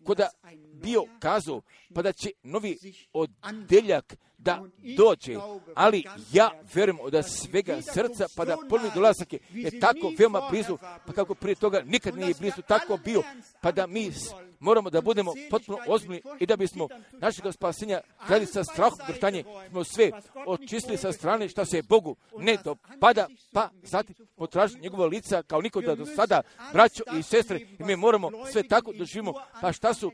koda bio kazao, pa da će novi odeljak da dođe, ali ja vjerujem od svega srca, pa da ponovni dolazak je tako veoma blizu, pa kako prije toga nikad nije blizu tako bio, pa da mi moramo da budemo potpuno ozbiljni i da bismo našeg spasenja gledali sa strahom drhtanje, smo sve očistili sa strane što se Bogu ne dopada, pa zatim potražiti njegova lica kao nikoda do sada, braćo i sestre, i mi moramo sve tako doživimo, pa šta su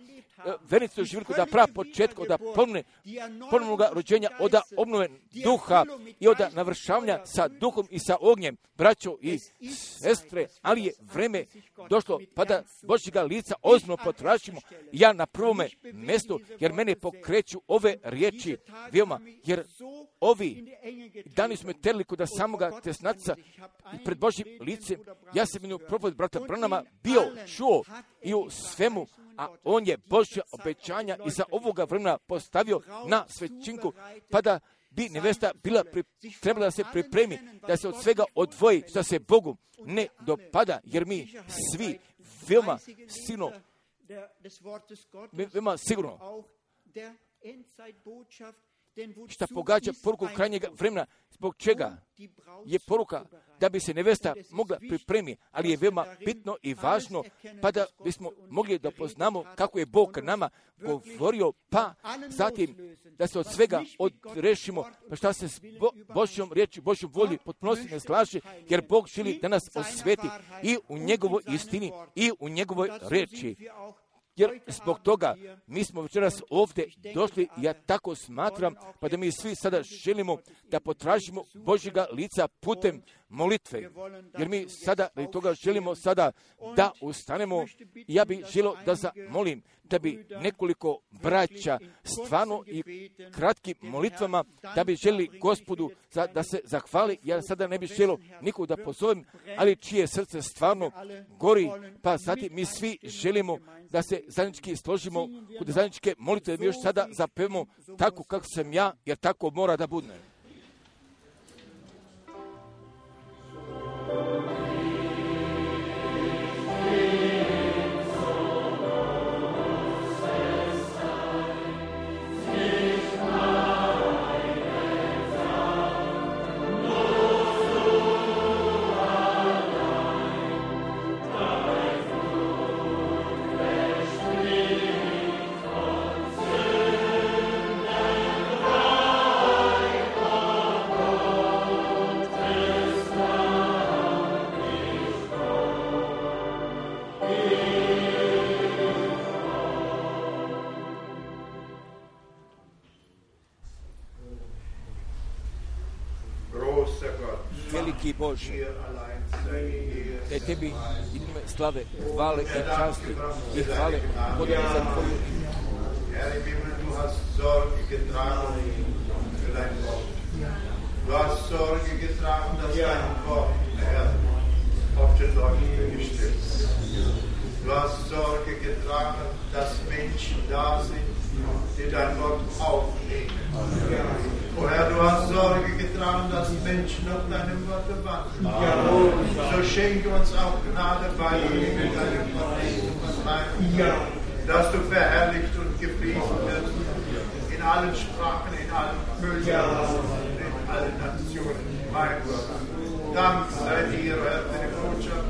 vernici doživjeli da prav početka od ponovnog rođenja, od obnove duha i od navršavanja sa duhom i sa ognjem, braćo i sestre, ali je vreme došlo pa da Božjega lica ozbiljno potražimo. Ja na prvome mjestu, jer mene pokreću ove riječi veoma, jer ovi dani smo terili kod samoga tesnaca i pred Božjim licem. Ja sam jednu propoved brata Branama bio čuo i u svemu, a on je Božja obećanja i za ovoga vremena postavio na svećinku, pa da bi nevesta trebala da se pripremi, da se od svega odvoji, što se Bogu ne dopada, jer mi svi veoma sigurno šta pogađa poruku krajnjega vremena, zbog čega je poruka da bi se nevesta mogla pripremi, ali je veoma bitno i važno, pa da bismo mogli da poznamo kako je Bog nama govorio, pa zatim da se od svega odrešimo, pa šta se s Božjom riječi, Božjom volji potpunosti ne slaže, jer Bog želi da nas osveti i u njegovoj istini i u njegovoj riječi. Jer zbog toga mi smo večeras ovdje došli, ja tako smatram, pa da mi svi sada želimo da potražimo Božjega lica putem molitve. Jer mi sada radi toga želimo sada da ustanemo. Ja bih želio da zamolim da bi nekoliko braća stvarno i kratkim molitvama da bi želi Gospodu da se zahvali. Ja sada ne bih želio nikog da pozovem, ali čije srce stvarno gori, pa zatim mi svi želimo da se zajednički složimo kod zajedničke molitve, da mi još sada zapevamo tako kako sam ja, jer tako mora da bude. Veliki Bože, da je tebi ime slave, hvale i časti i hvale podane za tvoju ime. Herr im Himmel, du hast Sorge getragen für dein Wort. Du hast Sorge getragen, dass dein Wort, Herr, auf den Leuchten gestellt ist. Du hast Sorge getragen, dass Menschen da sind, die dein Wort aufnehmen. O Herr, du hast Sorge getragen, dass Menschen auf deinem Wort wandeln. So schenke uns auch Gnade bei mit deinem Wort, dass du verherrlicht und gepriesen wirst in allen Sprachen, in allen Völkern, in allen Nationen, mein Gott. Dank sei dir, Herr, für die Botschaft.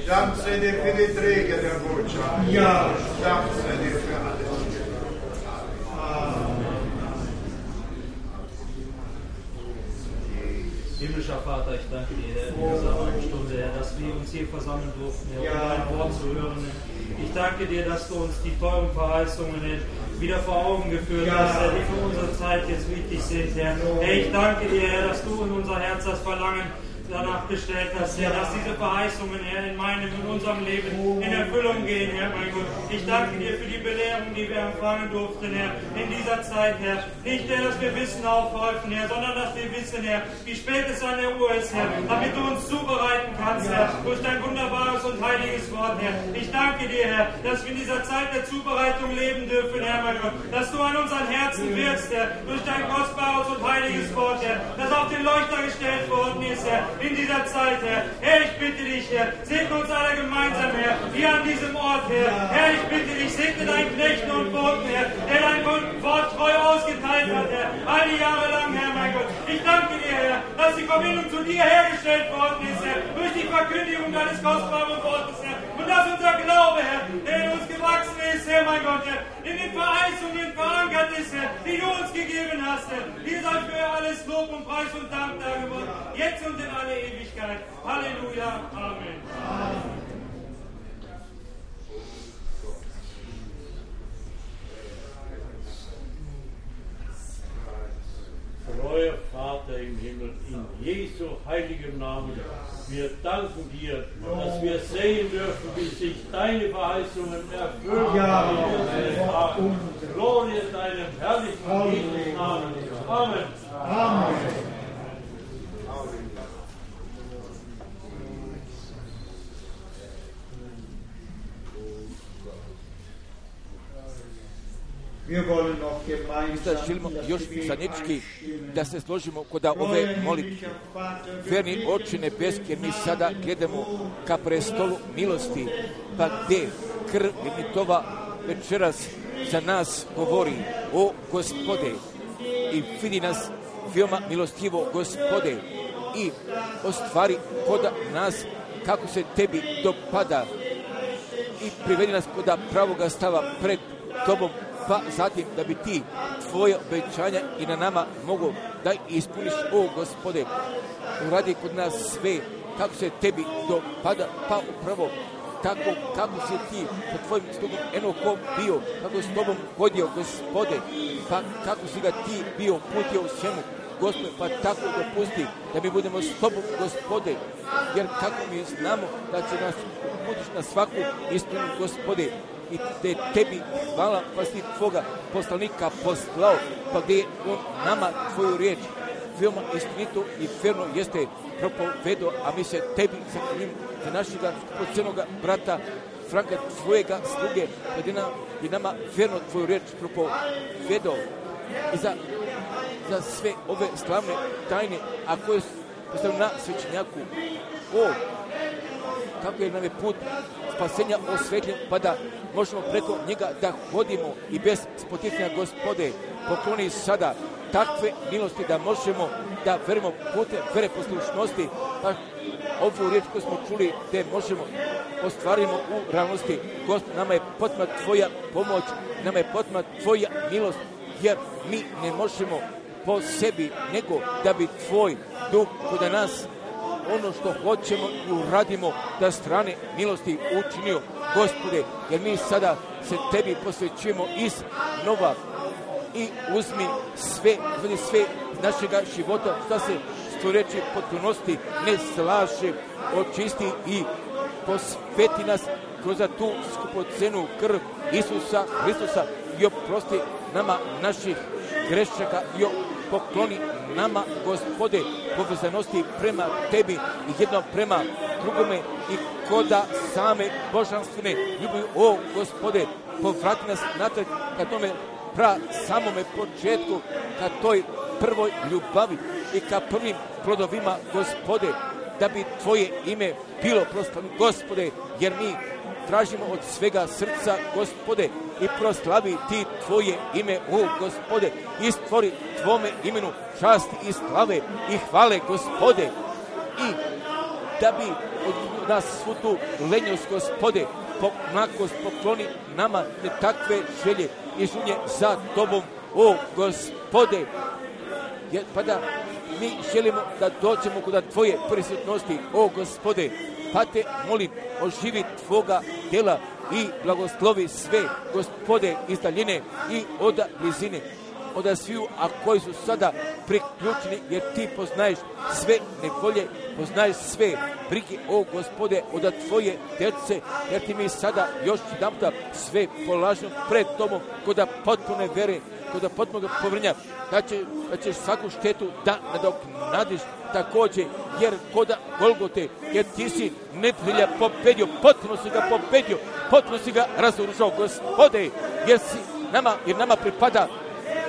Dank sei dir für die Träger der Botschaft. Ja. Dank sei dir für alles. Himmlischer Vater, ich danke dir, Herr, in dieser Abendstunde, Herr, dass wir uns hier versammeln durften, Herr, um dein Wort zu hören. Herr. Ich danke dir, dass du uns die teuren Verheißungen, Herr, wieder vor Augen geführt hast, Herr, die für unsere Zeit jetzt wichtig sind, Herr. Herr, ich danke dir, Herr, dass du in unser Herz das Verlangen danach gestellt hast, Herr, dass diese Verheißungen, Herr, in unserem Leben in Erfüllung gehen, Herr, mein Gott. Ich danke dir für die Belehrung, die wir empfangen durften, Herr, in dieser Zeit, Herr. Nicht, Herr, dass wir Wissen aufhäufen, Herr, sondern dass wir wissen, Herr, wie spät es an der Uhr ist, Herr, damit du uns zubereiten kannst, Herr, durch dein wunderbares und heiliges Wort, Herr. Ich danke dir, Herr, dass wir in dieser Zeit der Zubereitung leben dürfen, Herr, mein Gott, dass du an unseren Herzen wirkst, Herr, durch dein kostbares und heiliges Wort, Herr, das auf den Leuchter gestellt worden ist, Herr, in dieser Zeit, Herr. Herr, ich bitte dich, Herr, segne uns alle gemeinsam, Herr, hier an diesem Ort, Herr. Herr, ich bitte dich, segne deinen Knechten und Boten, Herr, der dein Wort treu ausgeteilt hat, Herr, all die Jahre lang, Herr, mein Gott. Ich danke dir, Herr, dass die Verbindung zu dir hergestellt worden ist, Herr, durch die Verkündigung deines kostbaren Wortes, Herr, und dass unser Glaube, Herr, der in uns gewachsen ist, Herr, mein Gott, Herr, in den Verheißungen verankert ist, Herr, die du uns gegeben hast, Herr. Dir sei für alles Lob und Preis und Dank darüber, jetzt und in alle Ewigkeit. Halleluja. Amen. Treuer Vater im Himmel, in Jesu heiligem Namen, wir danken dir, dass wir sehen dürfen, wie sich deine Verheißungen erfüllen. Ja. Glorie deinem herrlichen Jesus Namen. Amen. Amen. Sada želimo još zajednički da se složimo kod ove molitve. Verni Oče nebeski, jer mi sada gledamo ka prestolu milosti, pa gde krv Tova večeras za nas govori: o Gospode, i vidi nas veoma milostivo, Gospode, i ostvari kod nas kako se tebi dopada i privedi nas kod pravoga stava pred Tobom, pa zatim da bi ti tvoje obećanja i na nama mogu da ispuniš, o Gospode. Uradi kod nas sve kako se tebi dopada, pa upravo tako kako si ti pod tvojim slugom Enohom bio, kako s tobom hodio, Gospode, pa kako si ga ti bio putio u svemu, Gospode, pa tako dopusti da mi budemo s tobom, Gospode, jer kako mi znamo da će nas uputiš na svaku istinu, Gospode, i te tebi hvala, pa si tvoga poslanika poslao, pa gdje je on nama tvoju riječ veoma istinito i verno jeste propovedo, a mi se tebi zahvaljujemo za našega skupocenoga brata Franka, tvojega sluge, gdje je nama verno tvoju riječ propovedo i za sve ove slavne tajne, a koje su postavljene na svećenjaku. O, kako je nam je put spasenja osvetljen, pa da možemo preko njega da hodimo i bez spoticanja, Gospode, pokloni sada takve milosti da možemo da verimo putem vere poslušnosti, pa ovu riječ koju smo čuli, te možemo ostvarimo u realnosti. Gospod, nama je potrebna tvoja pomoć, nama je potrebna tvoja milost, jer mi ne možemo po sebi, nego da bi tvoj duh kod nas ono što hoćemo i uradimo da strane milosti učinio, Gospode, jer mi sada se tebi posvećujemo iz nova i uzmi sve našega života, što se što reći potpunosti ne slaže, očisti i posveti nas kroz tu skupocenu krv Isusa Hristusa i oprosti nama naših grešaka i pokloni nama, Gospode, povezanosti prema tebi i jedno prema drugome i koda same božanstvene ljubavi. O, Gospode, povrati nas natrag ka tome samome početku, ka toj prvoj ljubavi i ka prvim plodovima, Gospode, da bi Tvoje ime bilo proslavljeno, Gospode, jer mi tražimo od svega srca, Gospode, i proslavi Ti Tvoje ime, o Gospode, i stvori Tvome imenu časti i slave i hvale, Gospode, i da bi od nas svu tu lenjost, Gospode, nakost pokloni nama ne takve želje i žunje za Tobom, o Gospode, pa da mi želimo da dođemo kod Tvoje prisutnosti, o Gospode, pa Te molim, oživi Tvoga djela i blagoslovi sve, Gospode, iz daljine i od blizine, od sviju, a koji su sada priključeni, jer Ti poznaješ sve nevolje, poznaješ sve brige, o Gospode, od Tvoje djece, jer Ti mi sada još jedanputa sve polažemo pred Tobom, kod potpune vere, kod potpunog povrnja, da ćeš svaku štetu da nadoknadiš također, jer kod Golgote, jer Ti si neprijatelja pobedio, potpuno si ga pobedio, potpuno si ga razoružao, Gospode, jer nama pripada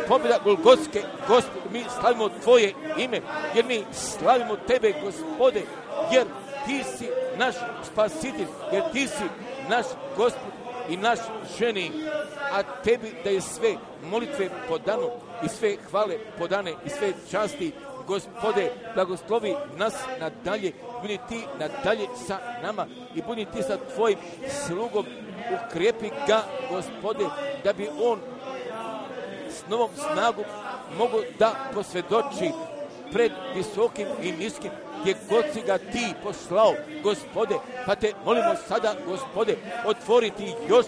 pobjeda Golgotske, Gospode, mi slavimo Tvoje ime, jer mi slavimo Tebe, Gospode, jer Ti si naš spasitelj, jer Ti si naš Gospod i naš ženi, a Tebi da je sve molitve podano i sve hvale podane i sve časti, Gospode, blagoslovi nas nadalje, budi Ti nadalje sa nama i budi Ti sa Tvojim slugom, ukrijepi ga, Gospode, da bi on s novom snagom mogu da posvjedoči pred visokim i niskim, gdje god si ga Ti poslao, Gospode, pa Te molimo sada, Gospode, otvoriti još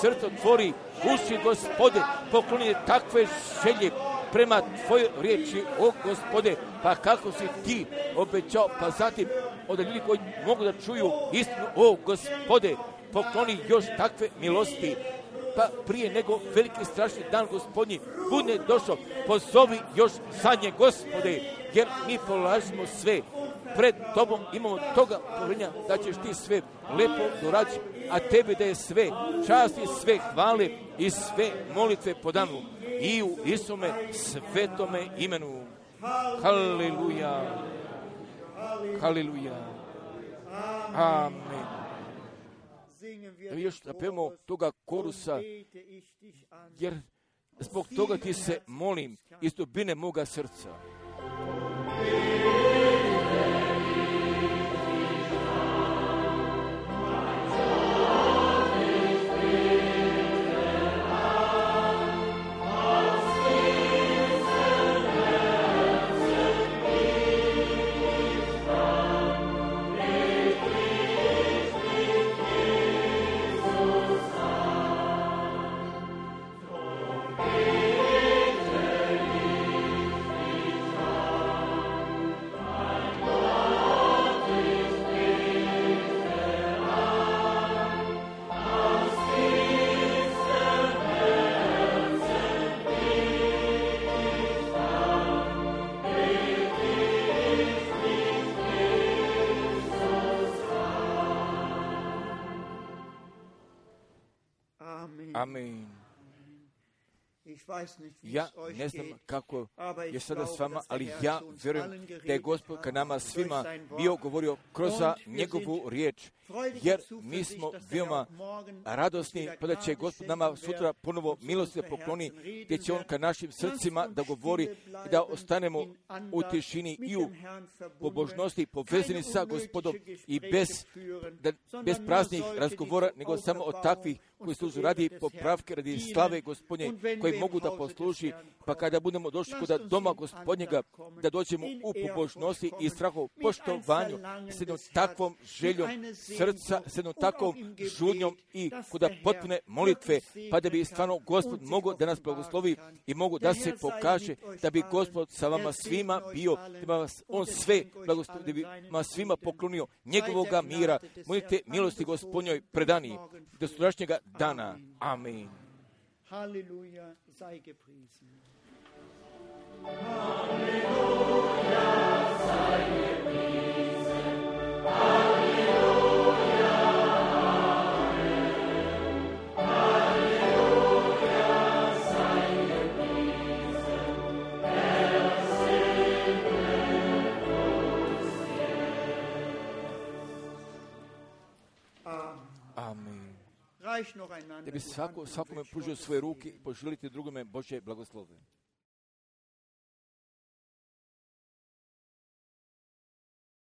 srce, otvori uši, Gospode, pokloni takve želje prema Tvojoj riječi, o Gospode, pa kako si Ti obećao, pa zatim od ljudi koji mogu da čuju istinu, o Gospode, pokloni još takve milosti, pa prije nego veliki strašni dan Gospodnji bude došao, pozovi još zadnje, Gospode, jer mi polažimo sve pred Tobom, imamo toga povjerenja da ćeš Ti sve lepo doraditi, a Tebi da je sve časti, sve hvale i sve molitve podanu i u Isume svetome imenu. Haleluja, haleluja, amen. Još napevamo toga korusa, jer zbog toga Ti se molim iz dubine moga srca. Amen. Ja ne znam kako je sada s vama, ali ja vjerujem da je Gospod ka nama svima bio govorio kroz njegovu riječ, jer mi smo veoma radosni, pa da će Gospod nama sutra ponovo milosti pokloni, gdje će On ka našim srcima da govori i da ostanemo u tišini i u pobožnosti povezani sa Gospodom i bez praznih razgovora, nego samo od takvih koji služu radi popravke, radi slave Gospodnje, koji mogu da posluži, pa kada budemo došli kod doma Gospodnjega, da dođemo u pobožnosti i strahu, poštovanju, s jednom takvom željom srca, s jednom takvom žudnjom i kod potpune molitve, pa da bi stvarno Gospod mogao da nas blagoslovi i mogu da se pokaže, da bi Gospod sa vama svima bio, da bi vas On sve blagoslovi, da bi vas svima poklonio njegovoga mira, molite milosti Gospodnjoj predani do sutrašnjega dana. Amen. Halleluja, sei gepriesen. Halleluja, sei gepriesen. Halleluja, Amen. Halleluja, sei gepriesen. Der Segen uns vielleicht noch da einander bi die Hand svakome pružio svoje ruke i poželiti drugome Božje blagoslove.